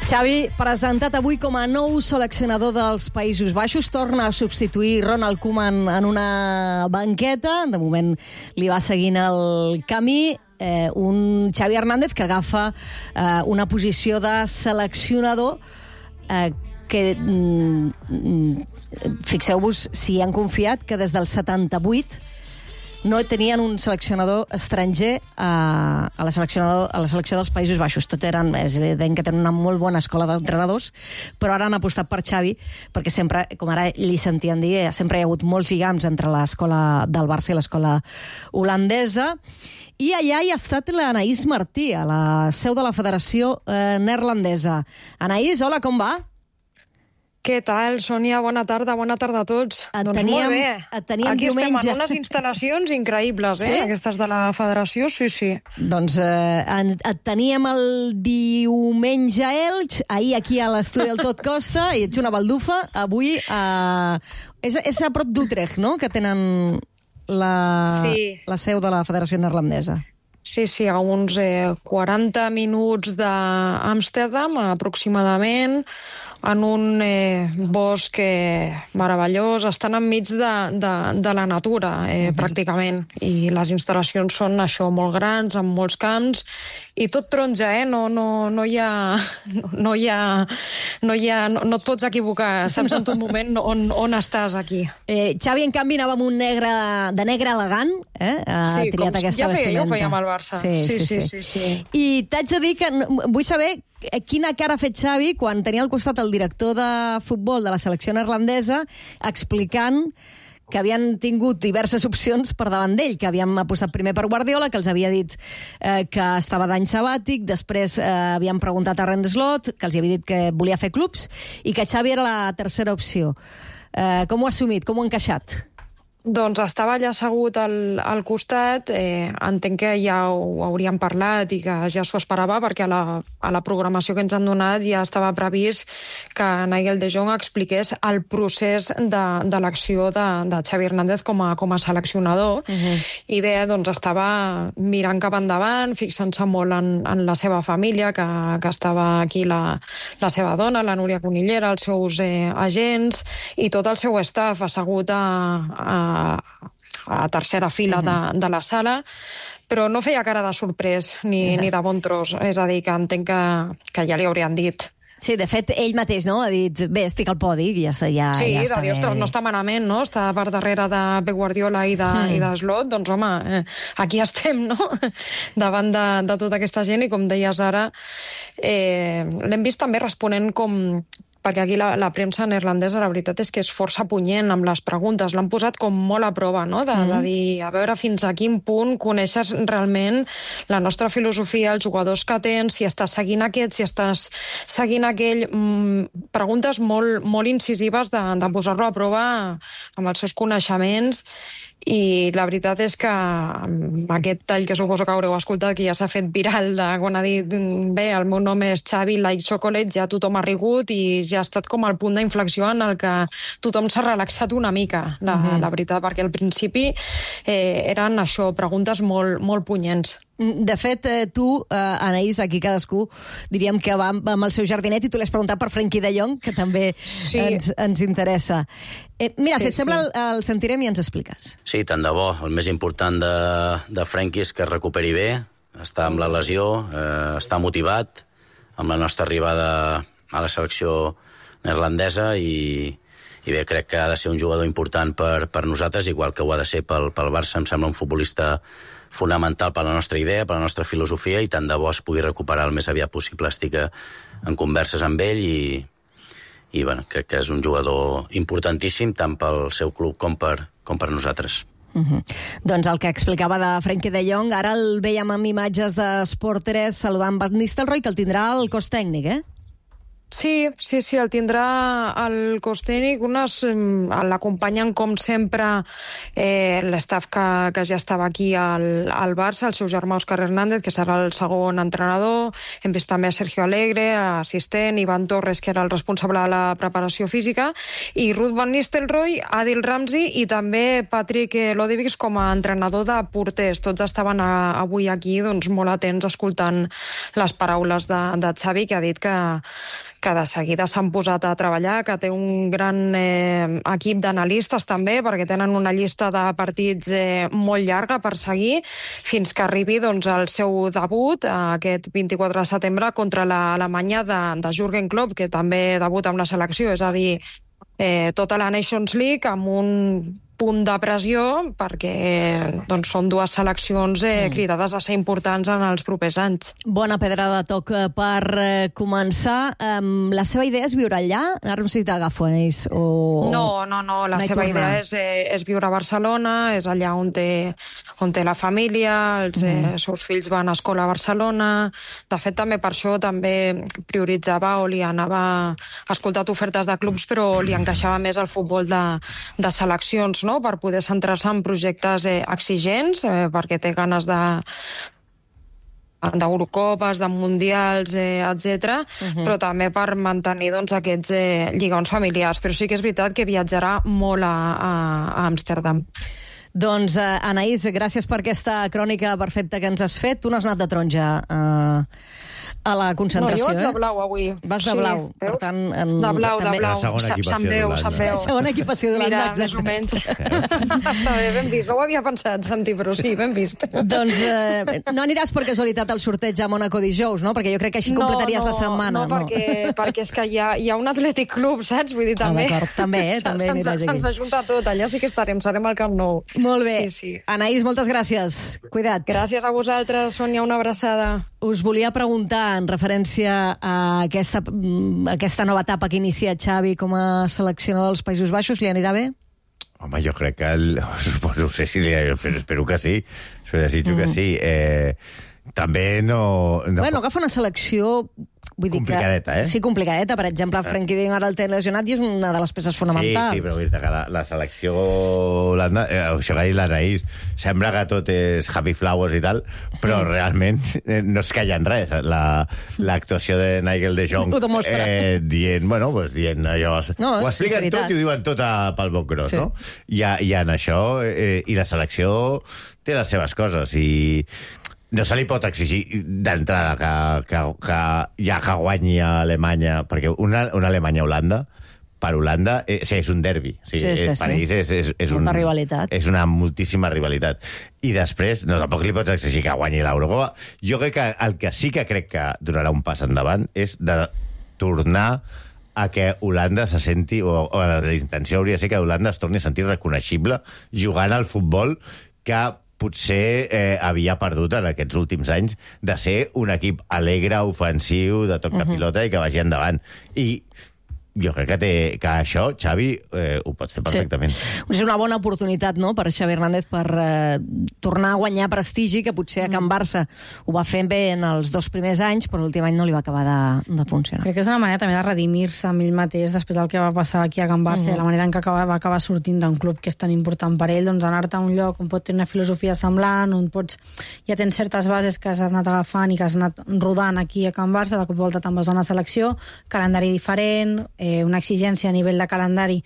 Xavi, presentat avui com a nou seleccionador dels Països Baixos, torna a substituir Ronald Koeman en una banqueta. De moment li va seguint el camí. Eh, un Xavi Hernández que agafa eh, una posició de seleccionador eh, que, mm, fixeu-vos si han confiat que des del setanta-vuit no tenien un seleccionador estranger a, a, la seleccionador, a la selecció dels Països Baixos. Tot eren, és evident que tenen una molt bona escola d'entrenadors, però ara han apostat per Xavi, perquè sempre, com ara li sentien dir, sempre hi ha hagut molts lligams entre l'escola del Barça i l'escola holandesa. I allà hi ha estat l'Anaïs Martí, a la seu de la Federació eh, Neerlandesa. Anaïs, hola, com va? Què tal, Sònia? Bona tarda, bona tarda a tots. Et doncs teníem, molt bé. Et teníem Aquí diumenge. estem en unes instal·lacions increïbles, eh? Sí? Aquestes de la federació, sí, sí. Doncs eh, en, et teníem el diumenge a Elx, ahir aquí a l'estudi del Tot Costa, i ets una baldufa. Avui a... és, és a prop d'Utrecht, no?, que tenen la, sí. la seu de la Federació Neerlandesa. Sí, sí, a uns eh, quaranta minuts d'Amsterdam, aproximadament, en un eh, bosc eh, meravellós. Estan enmig de, de, de la natura, eh, uh-huh. pràcticament. I les instal·lacions són això, molt grans, amb molts camps, i tot taronja, eh? No, no, no hi ha... No, no hi ha... No, hi ha no, no et pots equivocar, saps en tot moment on, on estàs aquí. Eh, Xavi, en canvi, anava amb un negre, de negre elegant, eh? Ha sí, triat com, aquesta ja feia, vestimenta. jo ho feia amb el Barça. Sí, sí, sí. sí, sí. sí, sí. I t'haig de dir que vull saber quina cara ha fet Xavi quan tenia al costat el director de futbol de la selecció neerlandesa explicant que havien tingut diverses opcions per davant d'ell, que havien apostat primer per Guardiola, que els havia dit eh, que estava d'any sabàtic, després eh, havien preguntat a Arne Slot, que els havia dit que volia fer clubs, i que Xavi era la tercera opció. Eh, com ho ha assumit? Com ho ha encaixat? Doncs estava allà assegut al, al costat, eh, entenc que ja ho hauríem parlat i que ja s'ho esperava, perquè a la, a la programació que ens han donat ja estava previst que Nigel de Jong expliqués el procés de, de l'acció de, de Xavi Hernández com a, com a seleccionador. Uh-huh. I bé, doncs estava mirant cap endavant, fixant-se molt en, en la seva família, que, que estava aquí la, la seva dona, la Núria Conillera, els seus eh, agents i tot el seu staff assegut a, a a tercera fila de, de la sala, però no feia cara de sorprès ni, ni de bon tros. És a dir, que entenc que, que ja li haurien dit. Sí, de fet, ell mateix, no?, ha dit, bé, estic al podi, i ja està, ja, sí, ja està de dir, ostres, no està malament, no?, està per darrere de Pep Guardiola i de, mm. i de Slot, doncs, home, eh, aquí estem, no?, davant de, de tota aquesta gent, i com deies ara, eh, l'hem vist també responent com... perquè aquí la, la premsa neerlandesa, la veritat és que és força punyent amb les preguntes, l'han posat com molt a prova, no?, de, mm. de dir, a veure fins a quin punt coneixes realment la nostra filosofia, els jugadors que tens, si estàs seguint aquest, si estàs seguint aquell... Mm, preguntes molt, molt incisives de, de posar-lo a prova amb els seus coneixements. I la veritat és que aquest tall que suposo que haureu escoltat, que ja s'ha fet viral, de quan ha dit bé, el meu nom és Xavi Like Chocolate, ja tothom ha rigut i ja ha estat com el punt d'inflexió en el que tothom s'ha relaxat una mica, la, uh-huh. la veritat, perquè al principi eh, eren això, preguntes molt, molt punyents. De fet, eh, tu, eh, Anaïs, aquí cadascú, diríem que va amb el seu jardinet i tu l'has preguntat per Frenkie de Jong, que també sí. ens, ens interessa. Eh, mira, sí, si et sembla, sí. el, el sentirem i ens expliques. Sí, tant de bo. El més important de, de Frenkie és que es recuperi bé, està amb la lesió, eh, està motivat amb la nostra arribada a la selecció neerlandesa i, i bé, crec que ha de ser un jugador important per, per nosaltres, igual que ho ha de ser pel, pel Barça. Em sembla un futbolista fonamental per la nostra idea, per la nostra filosofia, i tant de bo es pugui recuperar el més aviat possible. Estic en converses amb ell i, i bueno, crec que és un jugador importantíssim tant pel seu club com per, com per nosaltres. Uh-huh. Doncs el que explicava de Frenkie de Jong, ara el veiem amb imatges de Sport tres saludant Van Nistelrooy, que el tindrà al cos tècnic, eh? Sí, sí, sí, el tindrà al cos tècnic. Unes l'acompanyen, com sempre, eh, l'estaf que, que ja estava aquí al, al Barça, el seu germà Òscar Hernández, que serà el segon entrenador. Hem vist també a Sergio Alegre, assistent, Ivan Torres, que era el responsable de la preparació física, i Ruud Van Nistelrooy, Adil Ramzi i també Patrick Lodewijk com a entrenador de porters. Tots estaven a, avui aquí doncs, molt atents, escoltant les paraules de, de Xavi, que ha dit que que de seguida s'han posat a treballar, que té un gran eh, equip d'analistes també, perquè tenen una llista de partits eh, molt llarga per seguir, fins que arribi doncs, el seu debut eh, aquest vint-i-quatre de setembre contra l'Alemanya de, de Jürgen Klopp, que també debuta amb la selecció, és a dir, eh, tota la Nations League amb un punt de pressió, perquè doncs, són dues seleccions eh, mm. cridades a ser importants en els propers anys. Bona pedra de toc per eh, començar. Um, la seva idea és viure allà? Ara no sé si t'agafo, Anaïs. O... No, no, no. La seva tornar. idea és, eh, és viure a Barcelona, és allà on té, on té la família, els mm. eh, seus fills van a escola a Barcelona. De fet, també per això també prioritzava o li anava... Ha escoltat ofertes de clubs, però li encaixava més el futbol de, de seleccions, no? Per poder centrar-se en projectes eh, exigents, eh, perquè té ganes de d'Eurocopes, de Mundials, eh, etcètera, uh-huh. però també per mantenir doncs, aquests eh, lligams familiars. Però sí que és veritat que viatjarà molt a, a, a Amsterdam. Doncs, eh, Anaïs, gràcies per aquesta crònica perfecta que ens has fet. Tu no has anat de taronja eh, a la concentració, no, jo vaig de eh? blau avui. Vas de blau, sí, per tant... En... De blau, també... de blau. La segona equipació d'Holanda. La segona equipació d'Holanda, exacte. Més o menys. Està bé, ben vist. No ho havia pensat, Santi, però sí, ben vist. Doncs eh, no aniràs per casualitat al sorteig a Mónaco dijous, no? Perquè jo crec que així completaries no, no, la setmana. No, no, perquè, perquè és que hi ha, hi ha un Atlètic Club, saps? Vull dir, també... Ah, també, eh? També aniràs aquí. Se'ns ajunta tot, allà sí que estarem, serem al Camp Nou. Molt bé. Sí, sí. Anaïs, moltes gràcies. Cuida't. Gràcies a vosaltres, Sònia, una abraçada. Us volia preguntar, en referència a aquesta, a aquesta nova etapa que inicia Xavi com a seleccionador dels Països Baixos, li anirà bé? Home, jo crec que... El, no sé si li... Però espero que sí. Espero desitjo mm. que sí. Eh, també no... no bueno, agafa una selecció... Vull dir complicadeta, que, eh? Sí, complicadeta. Per exemple, Frenkie de Jong ara el té lesionat i és una de les peces fonamentals. Sí, sí, però vull dir que la, la selecció holanda, eh, això que ha dit l'Anaïs, sembla que tot és happy flowers i tal, però mm. realment eh, no es calla en res. L'actuació la, de Nigel de Jong eh, dient, bueno, pues, dient allò... No, ho expliquen tot i ho diuen tot a, pel bon gros, sí. no? I, I en això, eh, i la selecció té les seves coses, i... No se li pot exigir d'entrada que, que, que ja que guanyi a Alemanya, perquè una, una Alemanya-Holanda, per Holanda, eh, sí, és un derbi. O sigui, sí, sí, per sí. ells és, és, és, Molta un, rivalitat. És una moltíssima rivalitat. I després, no, tampoc li pots exigir que guanyi l'Eurocopa. Jo crec que el que sí que crec que donarà un pas endavant és de tornar a que Holanda se senti, o, o la intenció hauria de ser que Holanda es torni a sentir reconeixible jugant al futbol que potser eh, havia perdut en aquests últims anys de ser un equip alegre, ofensiu, de toc de pilota i que vagi endavant. I jo crec que, té, que això, Xavi, eh, ho pots fer perfectament. Sí. És una bona oportunitat, no?, per Xavi Hernández per eh, tornar a guanyar prestigi, que potser a Can Barça ho va fer bé en els dos primers anys, però l'últim any no li va acabar de, de funcionar. Crec que és una manera també de redimir-se amb ell mateix després del que va passar aquí a Can Barça, uh-huh. la manera en què acaba, va acabar sortint d'un club que és tan important per ell, doncs anar-te a un lloc on pot tenir una filosofia semblant, on pots, ja tens certes bases que has anat agafant i que has anat rodant aquí a Can Barça, de cop i volta te'n vas a una selecció, calendari diferent, eh, una exigència a nivell de calendari,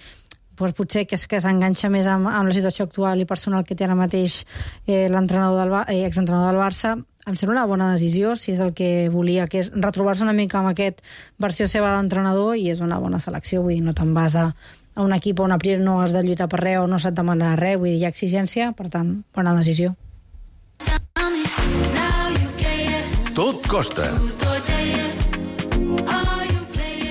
doncs potser que, que s'enganxa més amb, amb la situació actual i personal que té ara mateix eh, l'entrenador del, eh, exentrenador del Barça. Em sembla una bona decisió, si és el que volia, que és retrobar-se una mica amb aquest versió seva de l'entrenador, i és una bona selecció, vull dir, no te'n vas a, a un equip on a priori no has de lluitar per res o no se't demanarà res, vull dir, hi ha exigència, per tant, bona decisió. Tot costa.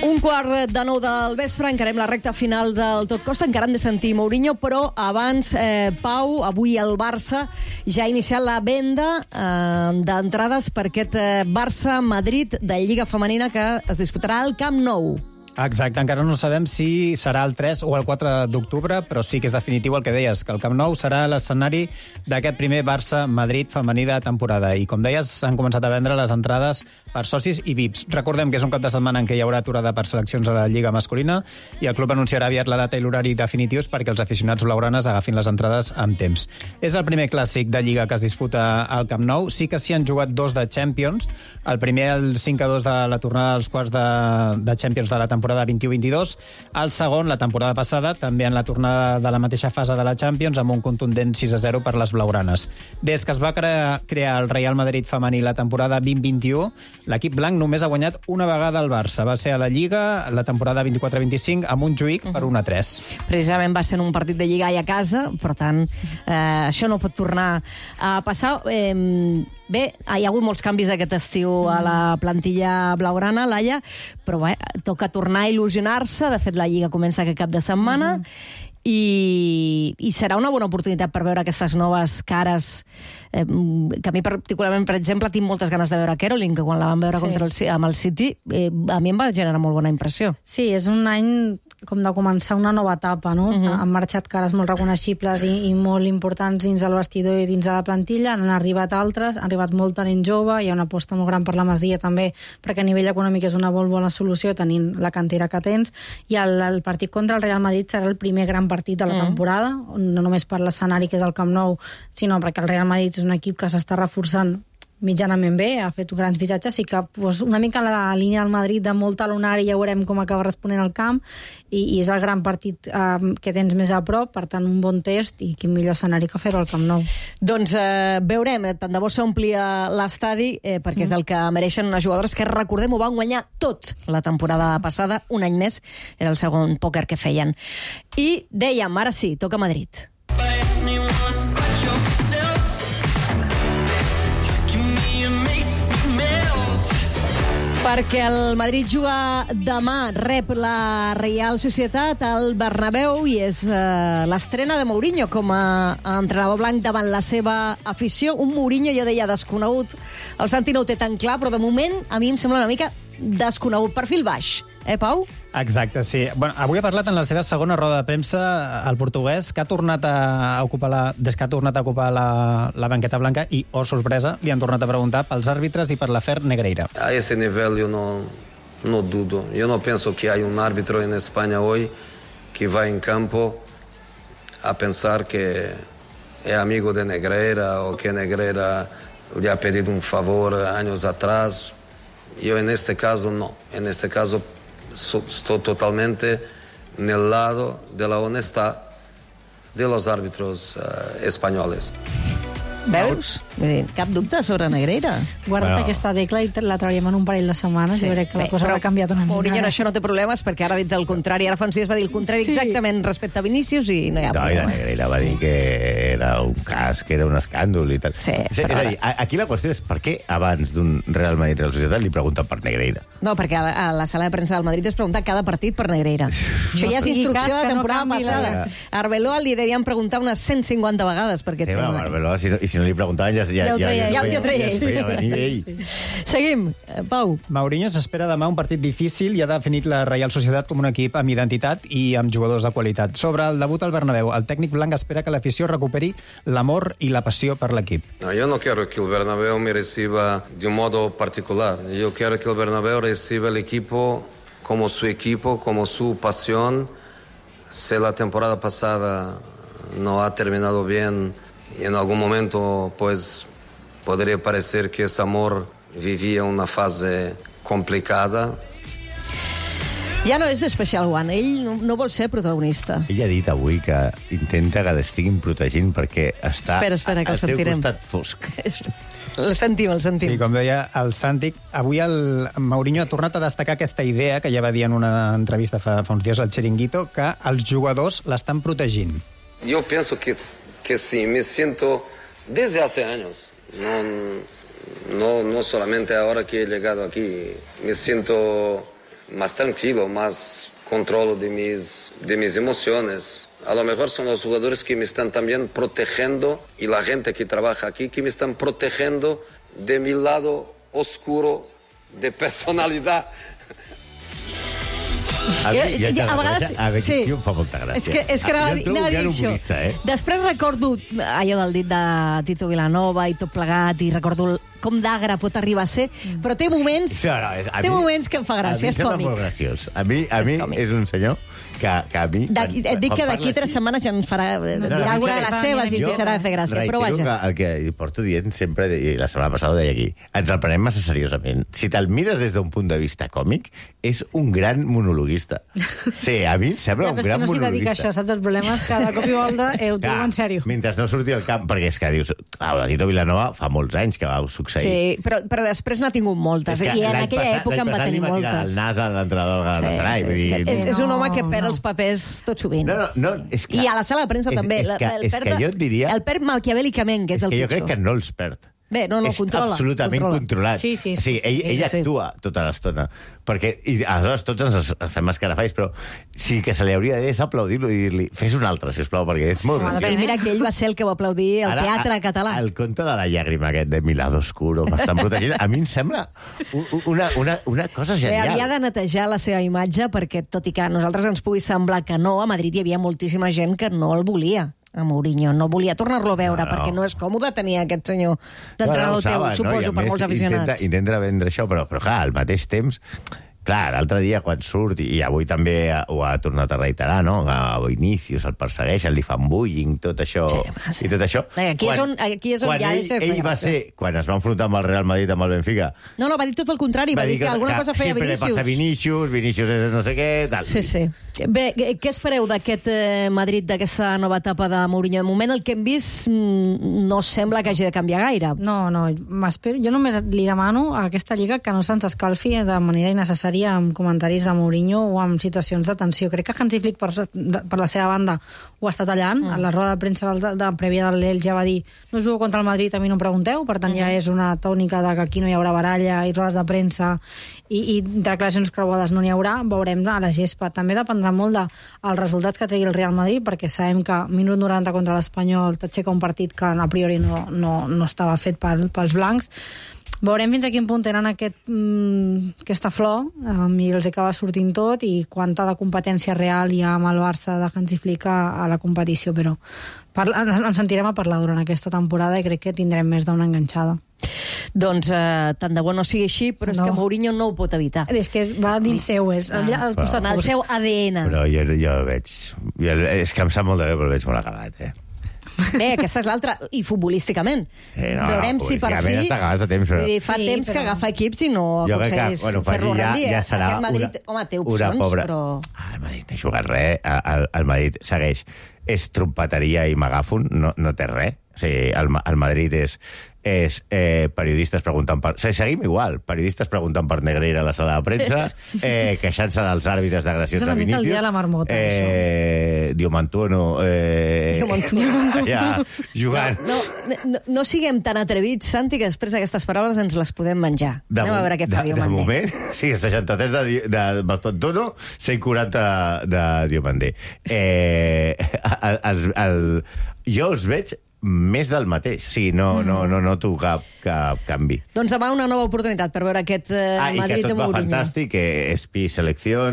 Un quart de nou del vespre, encarem la recta final del Tot Costa, encara hem de sentir Mourinho, però abans, eh, Pau, avui el Barça ja ha iniciat la venda eh, d'entrades per aquest eh, Barça-Madrid de Lliga Femenina que es disputarà al Camp Nou. Exacte, encara no sabem si serà el tres o el quatre d'octubre, però sí que és definitiu el que deies, que el Camp Nou serà l'escenari d'aquest primer Barça-Madrid femení de temporada. I com deies, s'han començat a vendre les entrades per socis i V I Ps. Recordem que és un cap de setmana en què hi haurà aturada per seleccions a la Lliga masculina i el club anunciarà aviat la data i l'horari definitius perquè els aficionats blaugranes agafin les entrades amb temps. És el primer clàssic de Lliga que es disputa al Camp Nou. Sí que s'hi han jugat dos de Champions. El primer, el cinc a dos de la tornada dels quarts de, de Champions de la temporada vint-i-u vint-i-dos. El segon, la temporada passada, també en la tornada de la mateixa fase de la Champions, amb un contundent sis a zero per les blaugranes. Des que es va crear, crear el Real Madrid femení la temporada vint vint-i-u, l'equip blanc només ha guanyat una vegada al Barça. Va ser a la Lliga la temporada vint-i-quatre vint-i-cinc amb un Montjuïc per un a tres. Precisament va ser en un partit de Lliga i a casa, per tant, eh, això no pot tornar a passar. Eh, bé, hi ha hagut molts canvis aquest estiu a la plantilla blaugrana, Laia, però bé, toca tornar a il·lusionar-se. De fet, la Lliga comença aquest cap de setmana. Mm-hmm. I, i serà una bona oportunitat per veure aquestes noves cares, eh, que a mi particularment, per exemple, tinc moltes ganes de veure Caroline, que quan la vam veure sí. contra el, amb el City, eh, a mi em va generar molt bona impressió. Sí, és un any com de començar una nova etapa, no? Uh-huh. Han marxat cares molt reconeixibles i, i molt importants dins del vestidor i dins de la plantilla, han arribat altres, ha arribat molt talent jove, hi ha una aposta molt gran per la Masia també, perquè a nivell econòmic és una molt bona solució tenint la cantera que tens, i el, el partit contra el Real Madrid serà el primer gran partit de la uh-huh. temporada, no només per l'escenari que és el Camp Nou, sinó perquè el Real Madrid és un equip que s'està reforçant mitjanament bé, ha fet grans fitxatges, sí que pues, una mica la línia del Madrid de molt talonari, ja veurem com acaba responent el camp, i, i és el gran partit eh, que tens més a prop, per tant un bon test, i quin millor escenari que fer-ho al Camp Nou. Doncs eh, veurem, eh, tant de bo s'omplia l'estadi, eh, perquè mm. és el que mereixen unes jugadores que, recordem, ho van guanyar tot la temporada passada, un any més, era el segon pòquer que feien. I dèiem, ara sí, toca Madrid. Perquè el Madrid juga demà, rep la Real Societat al Bernabéu i és eh, l'estrena de Mourinho com a, a entrenador blanc davant la seva afició. Un Mourinho, jo deia, desconegut. El Santi no ho té tan clar, però de moment a mi em sembla una mica desconegut. Perfil baix, eh, Pau? Exacte, sí. Bueno, avui ha parlat en la seva segona roda de premsa el portuguès, que ha tornat a ocupar la, des que ha tornat a ocupar la, la banqueta blanca i, oh sorpresa, li han tornat a preguntar pels àrbitres i per l'afer Negreira. A ese nivel yo no, no dudo. Yo no pienso que hay un árbitro en España hoy que va en campo a pensar que es amigo de Negreira o que Negreira le ha pedido un favor años atrás. Yo en este caso no. En este caso so, estoy totalmente en el lado de la honestidad de los árbitros uh, españoles. Veus? Vull dir, cap dubte sobre Negreira. Guarda't bueno. aquesta tecla i la treballem en un parell de setmanes sí. i veuré que la Bé, cosa haurà canviat una mica. Mourinho això no té problemes perquè ara ha dit el contrari. Ara fa uns dies va dir el contrari sí. exactament respecte a Vinícius i no hi ha no, problema. No, i la Negreira va dir que era un cas, que era un escàndol i tal. Sí, és, és a dir, aquí la qüestió és per què abans d'un Real Madrid-Real Societat li pregunten per Negreira? No, perquè a la, a la sala de premsa del Madrid es pregunta cada partit per Negreira. Això ja és instrucció de temporada no passada. A Arbeloa li devien preguntar unes cent cinquanta vegades per aquest sí, tema. Va, Arbeloa, si no, i si no li preguntaven ja... Ja, ja, ja, ja, ja, ja el treia ell. Sí. Seguim, Pau. Mourinho s'espera demà un partit difícil i ha definit la Real Societat com un equip amb identitat i amb jugadors de qualitat. Sobre el debut al Bernabéu, el tècnic blanc espera que l'afició recuperi l'amor i la passió per l'equip. No, yo no quiero que el Bernabéu me reciba de un modo particular. Yo quiero que el Bernabéu reciba el equipo como su equipo, como su pasión. Si la temporada pasada no ha terminado bien y en algún momento pues podría parecer que ese amor vivía una fase complicada. Ja no és d'Special One, ell no, no vol ser protagonista. Ell ha dit avui que intenta que l'estiguin protegint perquè està espera, espera, que al seu sentirem. costat fosc. El sentim, el sentim. Sí, com deia el Santi, avui el Mourinho ha tornat a destacar aquesta idea que ja va dir en una entrevista fa, fa uns dies al Chiringuito, que els jugadors l'estan protegint. Yo pienso que, que sí, me siento desde hace años, no, no, no solamente ahora que he llegado aquí, me siento más tranquilo, más control de mis, de mis emociones. A lo mejor son los jugadores que me están también protegiendo y la gente que trabaja aquí que me están protegiendo de mi lado oscuro de personalidad. A, jo, ja ja, a vegades... A veure, sí. sí. em fa molta gràcia. És que, és que anava, jo anava a dir això. Eh? Després recordo allò del dit de Tito Vilanova i tot plegat, i recordo com d'agre pot arribar a ser, però té moments, sí, no, és, té mi, moments que em fa gràcia, és còmic. A mi molt graciós. A mi, a mi és, és un senyor que, que a mi... Da, quan, et dic que d'aquí tres setmanes ja ens farà no, no, alguna de les seves i ens deixarà de fer gràcia, però vaja. Que el que porto dient sempre, i la setmana passada ho deia aquí, ens el prenem massa seriosament. Si te'l mires des d'un punt de vista còmic, és un gran monologuista. Sí, a mi em sembla ja, un gran no monologuista. Dedica això, saps? El problema és que de cop i volta eh, ho diu en sèrio. Mentre no surti al camp, perquè és que dius... Ah, el Tito Vilanova fa molts anys que va succeir. Sí, però, però després n'ha tingut moltes, i en aquella època en va tenir moltes. L'any passat li va tirar el nas a l'entrenador del Galatasaray. Sí, sí, sí, és, és un home que perd els papers tot sovint. No, no, no, és que, I a la sala de premsa és, també. És que, el és perd, que jo et diria... El perd maquiavèlicament, que és, és el que pitjor. jo crec que no els perd. Bé, no, no, és controla. absolutament controla. controlat. Sí, sí, sí. O sigui, ell, sí, ell sí, sí. actua tota l'estona. Perquè, i aleshores tots ens fem escarafalls, però sí que se li hauria de dir és aplaudir-lo i dir-li fes un altre, sisplau, perquè és molt graciós. I mira que ell va ser el que va aplaudir el Ara, teatre català. El conte de la llàgrima aquest de Milado Oscuro, que estan protegint, a mi em sembla una, una, una cosa genial. Bé, havia de netejar la seva imatge perquè, tot i que a nosaltres ens pugui semblar que no, a Madrid hi havia moltíssima gent que no el volia. A Mourinho. No volia tornar-lo a veure, no, no. perquè no és còmode tenir aquest senyor d'entrenador no, no, teu, saben, suposo, no? per molts aficionats. Intenta, intenta vendre això, però, però clar, al mateix temps... Clar, l'altre dia quan surt, i avui també ho ha tornat a reiterar, no? A Vinícius el persegueixen, li fan bullying, tot això, sí, sí. i tot això. Aquí quan, és on, aquí és on quan ja ell, ell va ser, quan es va enfrontar amb el Real Madrid, amb el Benfica... No, no, va dir tot el contrari, va, va dir que, que alguna que cosa feia Vinícius. Sempre li passa Vinícius, Vinícius és no sé què... Tal. Sí, sí. Bé, què espereu d'aquest eh, Madrid, d'aquesta nova etapa de Mourinho? De moment el que hem vist no sembla que hagi de canviar gaire. No, no, m'espero. Jo només li demano a aquesta lliga que no se'ns escalfi de manera innecessària amb comentaris de Mourinho o amb situacions de tensió. Crec que Hansi Flick, per, per la seva banda, ho ha estat tallant. Mm. A la roda de premsa de, de prèvia del Lel ja va dir no jugo contra el Madrid, a mi no em pregunteu, per tant mm. ja és una tònica de que aquí no hi haurà baralla i rodes de premsa i, i declaracions creuades no n'hi haurà. Veurem a la gespa. També dependrà molt dels de, resultats que tregui el Real Madrid, perquè sabem que minut noranta contra l'Espanyol t'aixeca un partit que a priori no, no, no estava fet pel, pels blancs. Veurem fins a quin punt tenen aquest, mm, aquesta flor um, i els acaba sortint tot, i quanta de competència real hi ha amb el Barça de Hansi Flick a, a la competició, però parla, ens sentirem a parlar durant aquesta temporada i crec que tindrem més d'una enganxada. Doncs eh, tant de bo no sigui així, però no. És que Mourinho no ho pot evitar. És que és, va dins seu, és ah, allà, al costat, el seu A D N. Però jo, jo el veig... Jo, és que em sap molt de greu, però el veig molt acabat, eh? Bé, aquesta és l'altra, i futbolísticament. Sí, no, veurem no, si per fi... Està acabat a temps, però... dir, fa sí, temps però... que agafa equips i no jo aconsegueix bueno, fer-lo ja, rendir. Ja serà Aquest Madrid, una, home, té opcions, pobra... però... Ah, el Madrid no ha jugat res. El, el Madrid segueix. És trompeteria i megàfon, no, no té res. O sigui, el, el Madrid és... és eh, periodistes preguntant per... O sigui, seguim igual, periodistes preguntant per Negreira a la sala de premsa, eh, queixant-se dels àrbitres d'agressions de Vinícius. És una mica el dia de la marmota, eh, Diomantuono... Eh, Diomantuono. Ja, jugant. No, no, no, no siguem tan atrevits, Santi, que després aquestes paraules ens les podem menjar. De Anem a veure què fa de, Diomandé. De moment, sí, seixanta-tres de, de Diomantuono, cent quaranta de Diomandé. Eh, el, el, el, jo els veig més del mateix. O sigui, no, mm. no, no noto cap, cap canvi. Doncs demà una nova oportunitat per veure aquest eh, ah, Madrid de Mourinho. Ah, i que tot va fantàstic, que Espi selecció,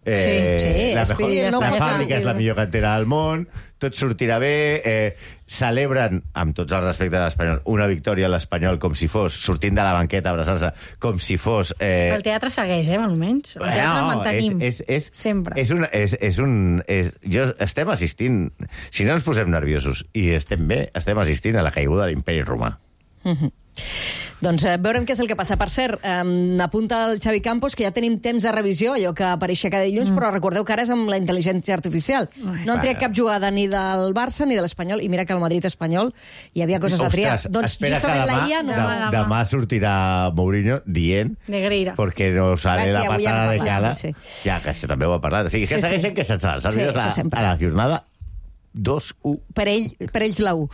eh, sí, sí, la, Espi, mejor, no la posa... fàbrica és la millor cantera del món, tot sortirà bé, eh, celebren, amb tots els respectes a l'Espanyol, una victòria a l'Espanyol com si fos, sortint de la banqueta, abraçant-se, com si fos... Eh... El teatre segueix, eh, almenys. El teatre no, el mantenim. És, és, és, sempre. És un... És, és un és, jo, estem assistint... Si no ens posem nerviosos i estem bé, estem assistint a la caiguda de l'imperi romà. Mhm. Doncs eh, veurem què és el que passa. Per cert, eh, apunta el Xavi Campos que ja tenim temps de revisió, allò que apareixia cada dilluns, mm. però recordeu que ara és amb la intel·ligència artificial. Ai, no han triat cap jugada ni del Barça ni de l'Espanyol, i mira que al Madrid-Espanyol hi havia coses Ostres, a triar. Doncs justament demà, la I A no... demà, demà. demà sortirà Mourinho dient Negreira. perquè no sale ah, sí, la patada de cada... Sí, sí. Ja, que això també ho ha parlat. O sigui, que sí, segueixen sí. queixant-se dels àrbitres sí, a, a la jornada dos u. Per, ell, per ells la U.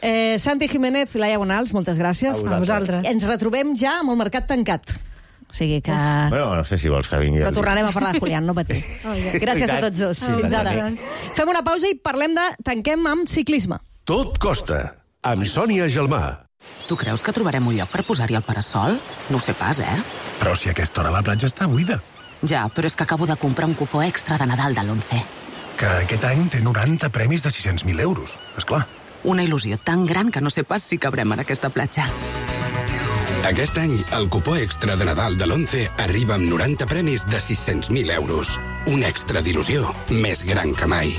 Eh, Santi Jiménez, Laia Bonals, moltes gràcies. A vosaltres. Ens retrobem ja amb el mercat tancat. O sigui que... Bueno, no sé si vols que vingui... Però tornarem a parlar de Julián, no patir. Oh, yeah. Gràcies a tots dos. Sí, Fins ara. Fem una pausa i parlem de... Tanquem amb ciclisme. Tot costa, amb Sònia Gelmà. Tu creus que trobarem un lloc per posar-hi el parasol? No ho sé pas, eh? Però si a aquesta hora la platja està buida. Ja, però és que acabo de comprar un cupó extra de Nadal de l'Once. Que aquest any té noranta premis de sis-cents mil euros, esclar. Una il·lusió tan gran que no sé pas si cabrem en aquesta platja. Aquest any, el cupó extra de Nadal de l'Once arriba amb noranta premis de sis-cents mil euros. Un extra d'il·lusió més gran que mai.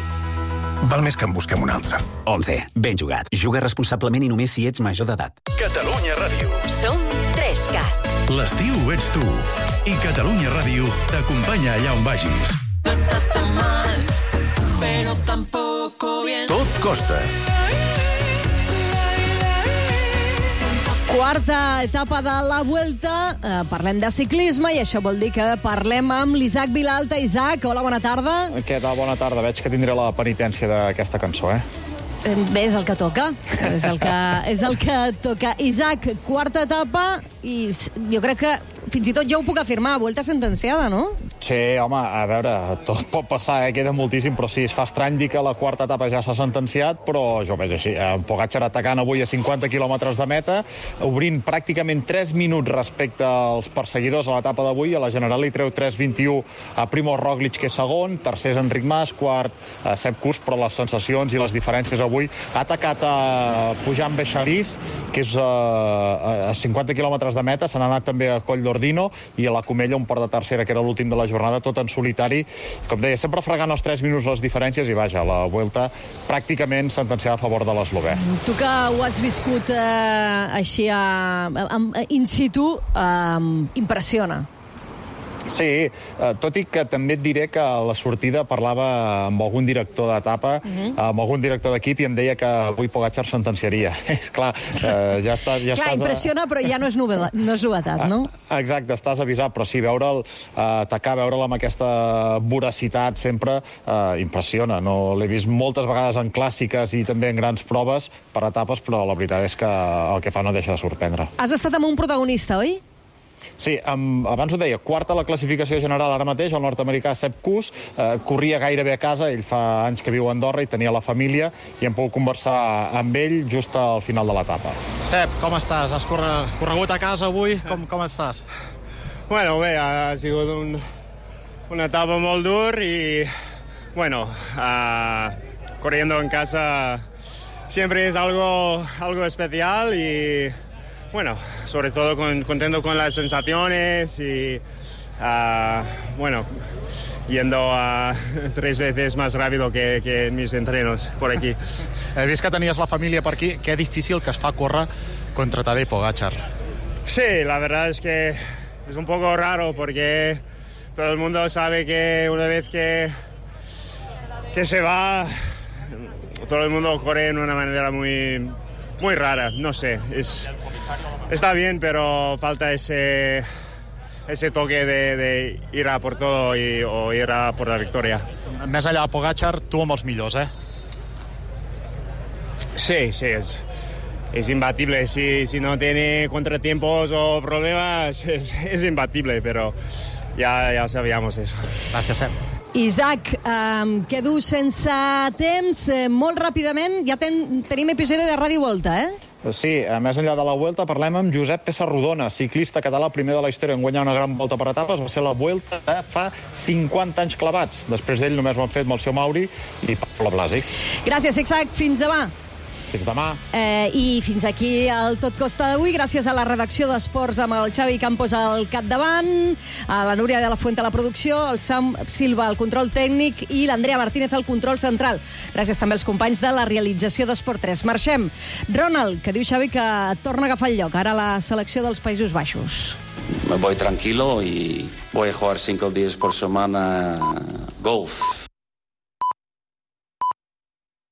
Val més que en busquem un altre. Once, ben jugat. Juga responsablement i només si ets major d'edat. Catalunya Ràdio. Som tres cat. L'estiu ets tu. I Catalunya Ràdio t'acompanya allà on vagis. No està tan mal, pero tampoco bien. Tot costa. Quarta etapa de la Vuelta. Eh, parlem de ciclisme i això vol dir que parlem amb l'Isaac Vilalta. Isaac, hola, bona tarda. Què tal? Bona tarda. Veig que tindré la penitència d'aquesta cançó, eh? Bé, és el que toca. És el que, és el que toca. Isaac, quarta etapa, i jo crec que fins i tot ja ho puc afirmar, Vuelta sentenciada, no? Sí, home, a veure, tot pot passar, eh? Queda moltíssim, però sí, es fa estrany dir que la quarta etapa ja s'ha sentenciat, però jo veig així. En Pogačar atacant avui a cinquanta quilòmetres de meta, obrint pràcticament tres minuts respecte als perseguidors a l'etapa d'avui. A la General li treu tres vint-i-u a Primož Roglič, que és segon, tercer és Enric Mas, quart a Sepp Kuss, però les sensacions i les diferències avui ha atacat a Pujan Beixarís, que és a, a cinquanta quilòmetres de meta, se n'ha anat també a Coll d'Ordino i a la Comella, un port de tercera, que era l'últim de la jornada, tot en solitari. Com deia, sempre fregant els tres minuts les diferències i, vaja, la Vuelta pràcticament sentenciada a favor de l'eslovè. Tu que ho has viscut eh, així a, a, a, in situ, eh, impressiona. Sí, eh, tot i que també et diré que a la sortida parlava amb algun director d'etapa, uh -huh. amb algun director d'equip, i em deia que avui Pogačar sentenciaria. És clar, eh, ja estàs... Ja clar, estàs impressiona, a... però ja no és novetat, no és novetat, no? Exacte, estàs avisat, però sí, veure'l eh, atacar, veure'l amb aquesta voracitat sempre eh, impressiona. No, l'he vist moltes vegades en clàssiques i també en grans proves per etapes, però la veritat és que el que fa no deixa de sorprendre. Has estat amb un protagonista, oi? Sí, amb, abans ho deia, quarta a la classificació general ara mateix, el nord-americà Sepp Kuss, eh, corria gairebé a casa, ell fa anys que viu a Andorra i tenia la família, i hem pogut conversar amb ell just al final de l'etapa. Sepp, com estàs? Has corre, corregut a casa avui? Com, com estàs? Bueno, bé, ha sigut un, una etapa molt dur y, bueno, uh, corriendo en casa siempre es algo, algo especial y, bueno, sobre todo con, contento con las sensaciones y, uh, bueno, yendo a tres veces más rápido que, que en mis entrenos por aquí. He vist que tenies la família per aquí. Qué difícil que es fa córrer contra Tadej Pogačar. Sí, la verdad es que es un poco raro porque todo el mundo sabe que una vez que, que se va, todo el mundo corre en una manera muy, muy rara. No sé, es, está bien, pero falta ese, ese toque de, de ir a por todo y, o ir a por la victoria. Més enllà de Pogačar, tu amb els millors, eh? Sí, sí, es, es imbatible. Si, si no tiene contratiempos o problemas, es, es imbatible, pero ya, ya sabíamos eso. Gràcies, Sam. Isaac, em quedo sense temps. Eh, molt ràpidament, ja ten, tenim episodi de Ràdio Volta, eh? Sí, més enllà de la Vuelta parlem amb Josep Pessarrodona, ciclista català, primer de la història en guanyar una gran volta per etapes. Va ser la Vuelta de fa cinquanta anys clavats. Després d'ell només ho han fet amb el seu Mauri i Pablo Blasi. Gràcies, Isaac. Fins demà. Fins demà. Eh, I fins aquí el Tot Costa d'avui, gràcies a la redacció d'Esports amb el Xavi Campos al capdavant, a la Núria de la Fuente a la producció, el Sam Silva al control tècnic i l'Andrea Martínez al control central. Gràcies també als companys de la realització d'Esport tres. Marxem. Ronald, que diu Xavi que torna a agafar el lloc, ara a la selecció dels Països Baixos. Me voy tranquilo y voy a jugar cinco días por semana golf.